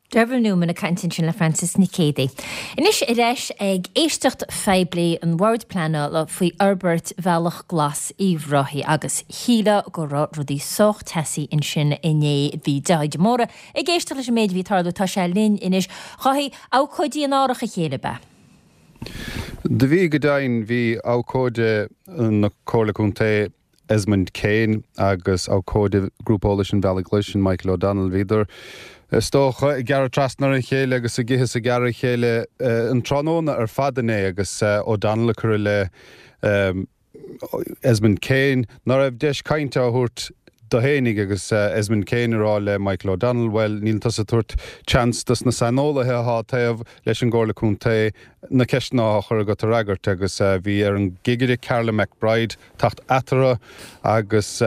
Derval Newman ag caint ansin le Frances Nic Géadaigh. Anois ar ais ag éisteacht phoiblí an Bhoird Pleanála faoi fhorbairt Bhealach Glas Uíbh Ráthaigh agus shílfeá go raibh rudaí sách teasaí ansin inné. Bhí Dáithí de Mórdha ag éisteacht leis an méid a bhí ag tarlú. Tá sé linn anois. Dháithí, abhcóidí in árach a chéile, ab ea? Do bhí go deimhin, bhí abhcóide na Comhairle Contae Esmond Kane agus abhcóide Grúpa Eolais an Bhealaigh Ghlais, sin Michael O'Donnell, bhíodar is dócha ag gearradh trasna ar a chéile agus ag ithe is ag gearradh a chéile an tráthnóna ar fad inné agus O'Donnell ag cur i leith Esmond Kane ná raibh deis cainte á thabhairt dó fhéinig agus Esmond Kane ag rá le Michael O'Donnell, bhuel, níl tusa ag tabhairt chance dos na saineolaithe atá taobh leis an gComhairle Contae na ceisteanna á chur agat a fhreagairt agus bhí ar an gcigire Carla McBride teacht eatarthu agus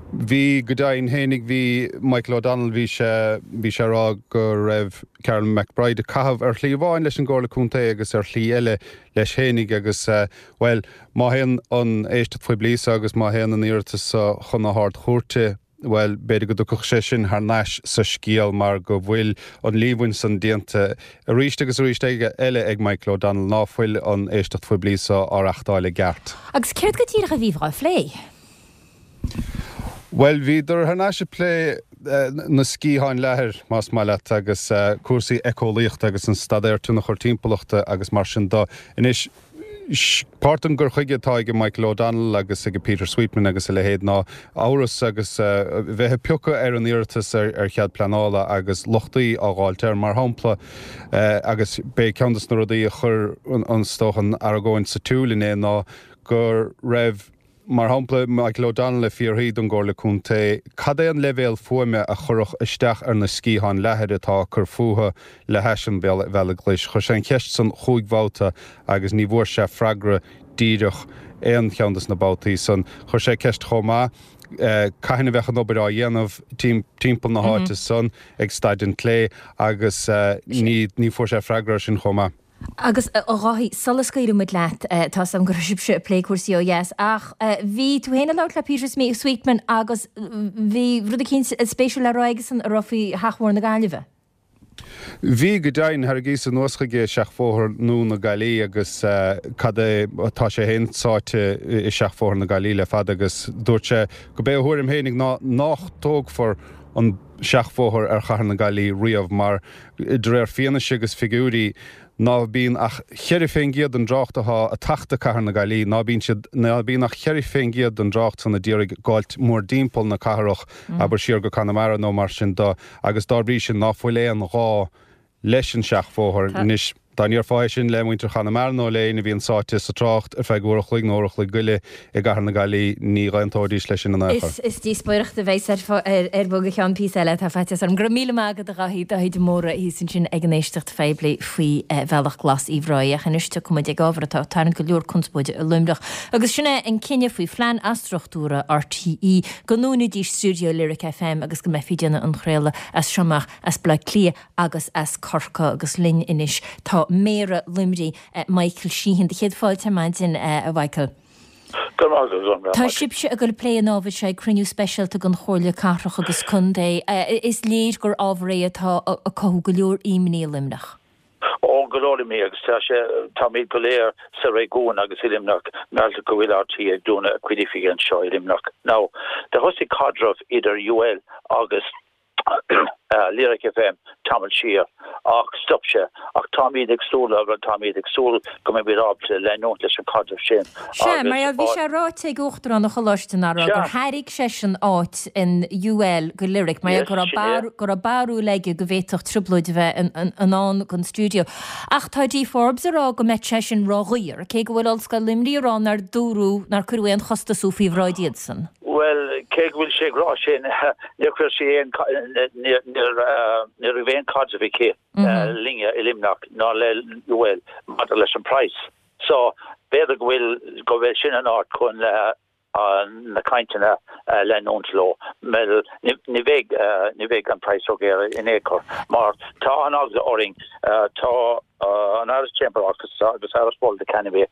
bhí, go deimhin fhéinig, bhí Michael O'Donnell, bhí sé, bhí sé ag rá go raibh Carla McBride ag caitheamh ar shlí amháin leis an gComhairle Contae agus ar shlí eile leis fhéinig agus, bhuel, má théann an éisteacht phoiblí so agus má théann an iarratas so chun na hArd-Chúirte, bhuel, b'fhéidir go dtiocfadh sé sin thar n-ais sa scéal mar go bhfuil an líomhain san déanta arís agus arís eile ag Michael O'Donnell ná fuil an éisteacht phoiblí so á reachtáil i gceart. Agus céard go díreach a bhí á phlé? Bhuel, bhíodar thar n-ais ag plé na sciatháin leathair, más maith leat, agus cúrsaí éiceolaíochta agus an staidéar tionchar timpeallachta agus mar sin de. Anois, páirt den gcur chuige atá ag Michael O'Donnell agus ag Peter Sweetman agus a leithéid ná amhras agus bheith ag piocadh ar an iarratas ar chead pleanála agus lochtaí á dh'fháilt air, mar shampla, agus b'é ceann de na rudaí a chuir, is dócha, an argóint sa tsiúl inné ná go raibh. Mar shampla, Michael O'Donnell ag fiafraí don gComhairle Contae cad é an leibhéal fuaime a chuirfeadh isteach ar na sciatháin leathair atá ag cur fúthu le hais an Bhealaigh Ghlais. Chuir sé an cheist san chúig bhabhta agus ní bhfuair sé freagra díreach aon cheann des na babhtaí san. Chuir sé ceist chomh maith cathain a bheadh an obair á dhéanamh timpeall na háite san ag Staid an tSléibhe agus ní fuair sé freagra ar sin chomh maith. Agus, a Dháithí, sula scaoilfidh muid leat, tá 's agam go raibh sibhse ag plé cúrsaí ó dheas, ach bhí tú féin ag labhairt le Peter Sweetman agus bhí rud eicínt spéisiúil le rá aigesan a raibh faoi Sheachbhóthar na Gaillimhe. Bhí, go deimhin, tharraingíos anuas chuige Seachbhóthar nua na Gaillimhe agus cad é, tá sé féin sáite i Seachbhóthar na Gaillimhe le fada agus dúirt sé go b'é a thuairim féinig ná nách dtógfar an seachbhóthar ar chathair na Gaillimhe riamh mar, de réir fianaise agus figiúirí, ná bíonn ach cheithre fén gcéad den dtrácht athá ag teacht go cathair na Gaillimhe, ná bíonn siad, ná bíonn ach cheithre fén gcéad den dtrácht san a d'iarraidh gabháilt mórdtimpeall na cathrach, abair siar go Conamara nó mar sin do, agus dá bhrí sin ná fuil aon ghá leis an seachbhóthar. Anois, dá ndéarfá é sin le muintir Chonamara nó le éinne a bhíonn sáite sa trácht ar feadh uair a chloig nó uair a chloig go leith i gcathair na Gaillimhe, ní dh'aontóidís leis sin in aon chor. Is díospóireacht a bheas ar bun go ceann píosa eile, tá faitíos orm. Go raibh míle maith agat a Dháithí, Dáithí de Mórdha thíos ansin ag an éisteacht phoiblí faoi Bhealach Glas Uíbh Ráthaigh. Ach anois tiocfaidh muid ag ábhar atá ag tarraingt go leor conspóide i Luimneach agus sin é an cinneadh faoi phlean athstruchtúrtha RTÉ go ndúnfaidís stiúideo Lyric FM agus go mbeifí ag déanamh an chraoladh as seo amach as Baile Átha Cliath agus as Corcaigh agus linn anois tá Méara Luimnigh, Michael Sheehan. Do chéad fáilte ar maidin, a Mhichael. Go raibh maith agat. Tá sibhse ag dul ag plé an ábhair seo ag cruinniú speisialta den Chomhairle Cathrach agus Contae. Is léir gur ábhar é atá ag cothú go leor imní i Luimneach. Ó, go leor imní agus tá sé, táimid go léir sa réigiún agus i Luimneach meallta go bhfuil RTÉ ag dúnadh a cuid oifigí anseo i Luimneach. Now, do thosaigh caidreamh idir UL agus Lyric FM tamall siar ach stop sé ach táimid ag súil agus táimid ag súil go mbeimid ábalta leanúint leis an caidreamh sin Sea, mar agus bhí sé ráite ag Uachtarán an Choláiste anuraidh gur thairg seisean áit in UL go Lyric mar go raibh go raibh barúil aige go bhféadfadh trioblóid a bheith i ndán don stiúideo. Ach tá Dee Forbes ag rá go mbeadh sé sin ródhaor, cé go bhfuil Ollscoil Luimnigh ag rá nár dúradh, nár cuireadh aon chostas faoi bhráid iadsan. Bhuel, cé go bhfuil sí ag rá sin, níor chuir sí aon, ní raibh aon caidreamh aici linne i Luimneach ná le UL maidir leis an praghas. So, b'fhéidir go bhfuil, go bhfuil sin an áit chun na cainteanna a leanúint leo. Bhuel, ní bheidh, ní bheidh an praghas ródhaor in aon chor mar tá an-eagla orainn, tá an Irish Chamber Orchestra agus Irish World Academy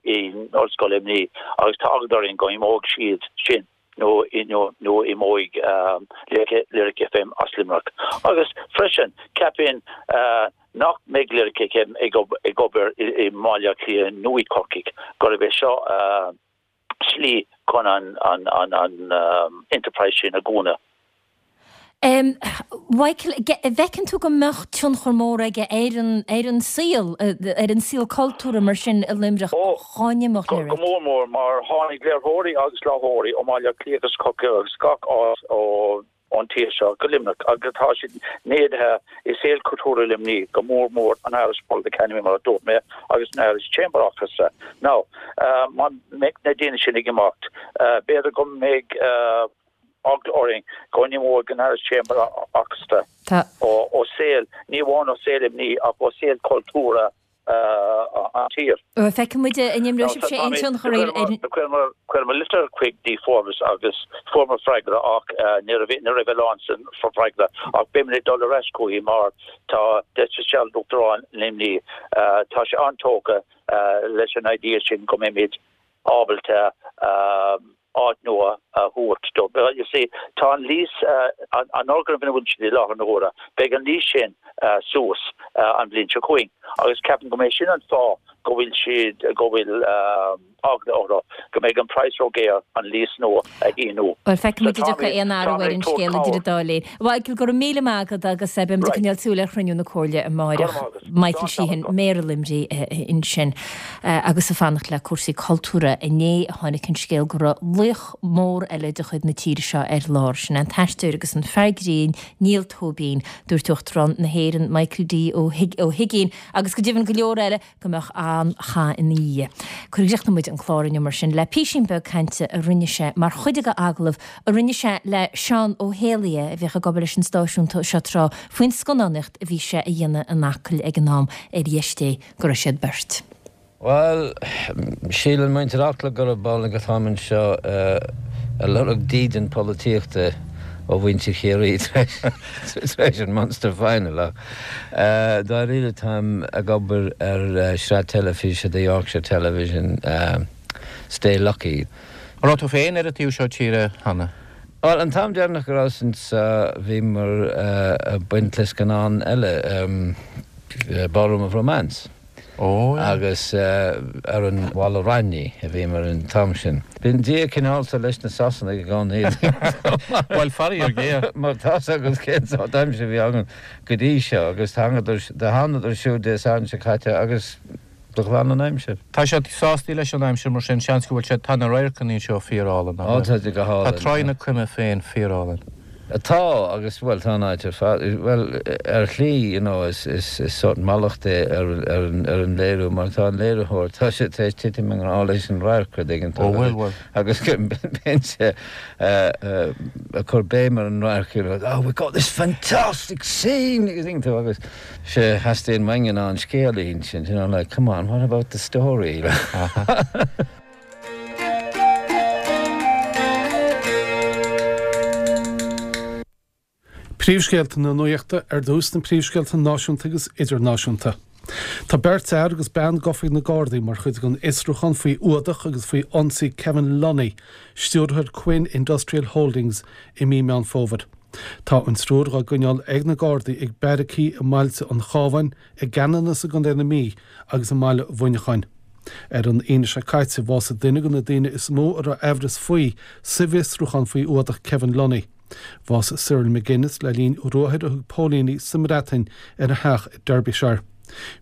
in Ollscoil Luimnigh agus tá eagla orainn go imeoidh siad sin nó nó imeoidh Lyric FM as Luimneach. Agus freisin, ceapaim nach mbeidh Lyric FM ag obair i mBaile Átha Cliath nó i gCorcaigh, gurb é seo slí chun an an enterprise sin a dhúnadh. Michael, an bhfeiceann tú go mbeadh tionchar mór aige ar an ar an saol, ar an saol cultúrtha mar sin i Luimneach dá n-imeodh Lyric? Go mór mór, mar tháinig léiritheoirí agus láithreoirí ó Bhaile Átha Cliath agus Corcaigh agus gach áit ón tír seo go Luimneach agus tá siad neadaithe i saol cultúrtha Luimnigh, go mór mór an Irish World Academy mar a dúirt mé agus an Irish Chamber Orchestra. Now, má mbeidh na daoine sin ag imeacht, b'fhéidir go mbeidh eagla orainn go n-imeoidh an Irish Chamber Orchestra ó saol, ní amháin ó saol Luimnigh ach ó saol cultúrtha an tír. Feicfidh muid an imreoidh sibhse aon tionchar ar an. Chuireamar litir chuig Dee Forbes agus fuaireamar freagra ach ní raibh ní raibh a lán san freagra ach beimid ag dul ar ais chuici mar tá Des Fitzgerald Uachtarán Luimnigh tá sé an-tógtha leis an idea sin go mbeimid ábalta áit nua a thabhairt dó. You see, tá an lease, an fhoirgneamh ina bhfuil siad i láthair na huaire, beidh an lease sin suas an bhliain seo chugainn agus ceapaim go mbeidh sin an fáth go bhfuil siad, go bhfuil eagla orthu go mbeidh an praghas ró-ghéar an lease nua a shíniú. Bhuel, feicfidh muid an dtiocfaidh aon athrú ar an scéal idir an dá linn. Michael, go raibh míle maith agat agus beidh muid ag coinneáil súil ar chruinniú na Comhairle amáireach. Michael Sheehan, Méara Luimnigh ansin agus ag fanacht le cúrsaí cultúrtha. Inné a tháinig an scéal go raibh laoch mór eile de chuid na tíre seo ar lár, sin an t-aisteoir agus an fear grinn Niall Tóibín. Dúirt Uachtarán na hÉireann Michael D Ó hUigínn agus go deimhin go leor eile go mbeadh an-chath ina dhiaidh. Críochnóidh muid an clár inniu mar sin le písín beag cainte a rinne sé mar chuid de agallamh a rinne sé le Seán Ó hÉalaithe a bhíodh ag obair leis an stáisiún seo tráth faoin scannánaíocht a bhí sé a dhéanamh in Acaill ag an am ar dheis Dé go raibh siad beirt. Bhuel, síleann muintir Acla gurb amhlaidh atáim anseo ag lorg dídean polaitíochta ó mhuintir Chiarraí tar éis an Munster Final ach dáiríre táim ag obair ar shraith teilifíse do Yorkshire Television, Stay Lucky. An raibh tú féin ar an taobh seo tíre cheana? Bhuel, an t-am deireanach go rabhas anseo bhíomar ag baint le scannán eile, Ballroom of Romance. Agus ar an Mhala Raithní a bhíomar an t-am sin. Bíonn Dia cineálta leis na Sasanaigh i gcónaí. Bhuel, faraor géar. Mar tá's agat cén sórt aimsir a bhí againn go dtí seo agus thángadar, do thánadar siúd Dé Sathairn seo caite agus do ghlan an aimsir. Tá siad sásta leis an aimsir mar sin, seans go bhfuil siad, tá na radharcanna anseo fíorálainn, nach bhfuil? Ó, tá siad go hálainn. Tá Tráigh na Coime féin fíorálainn. Tá, agus, bhuel, tá an áit ar fad, bhuel, ar shlí, you know, is, is, is sórt mallacht é ar, ar an, ar an léiriú, mar tá an léiritheoir, tá sé tar éis titim i ngrá leis an radharc, rud éigin, Ó, bhuel, bhuel. agus bíonn sé ag cur béim ar an radharc, you know, oh, we've got this fantastic scene, agus tuigeann tú, agus sé a theastaíonn uainne ná an scéal a insint, you know, like, come on, what about the story? Príomhscéalta na Nuachta ar dtús na príomhscéalta náisiúnta agus idirnáisiúnta. Tá beirt fhear agus bean gafa ag na Gardaí mar chuid den fhiosrúchán faoi fhuadach agus faoi ionsaí Kevin Lunny, stiúrthóir Quinn Industrial Holdings, i mí Meán Fómhair. Tá an triúr dhá gcoinneáil ag na Gardaí ag beairicí i mbailte an Chabháin, i gCeanannas i gContae na Mí agus i mbaile Mhuineacháin. Ar an Aoine seo caite, bhásaigh duine de na daoine is mó a raibh aimhreas faoi sa bhfiosrúchán faoi fhuadach Kevin Lunny. Bhásaigh Cyril McGuinness le linn ruathair a thug póilíní sa mBreatain ar a theach i Derbyshire.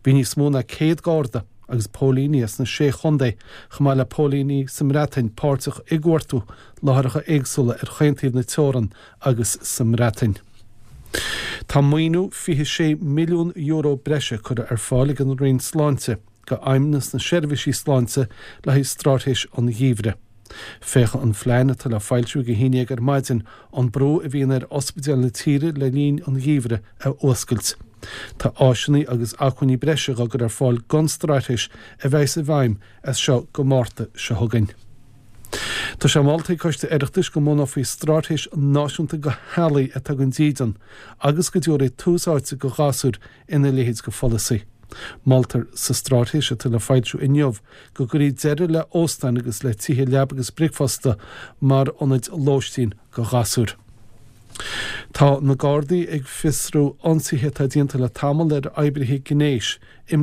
Bhí níos mó ná céad garda agus póilíní as na sé chontae, chomh maith le póilíní sa mBreatain, páirteach i gcuartú láithreacha éagsúla ar chaon taobh na teorann agus sa mBreatain. Tá maoiniú fiche sé milliún euro breise curtha ar fáil ag an Roinn Sláinte go Fheidhmeannas na Seirbhísí Sláinte le haghaidh Straitéis an Gheimhridh. Féachfaidh an phlean, atá le foilsiú ag a haon déag ar maidin, an brú a bhíonn ar ospidéil na tíre le linn an gheimhridh a fhuascailt. Tá áiseanna agus acmhainní breise dhá gcur ar fáil don straitéis a bheas i bhfeidhm as seo go Márta seo chugainn. Tá sé molta ag Coiste Oireachtais go mbunófaí straitéis náisiúnta go theaghlaigh atá gan dídean agus go dtabharfaí tús áite go ghasúir ina leithéid go pholasaí. Moltar sa straitéis atá le foilsiú inniu go gcuirfí deireadh le hóstáin agus le tithe leaba agus bricfeasta mar ionaid lóistín do ghasúir. Tá na Gardaí ag fiosrú ionsaithe atá déanta le tamall ar oibrithe gnéis i.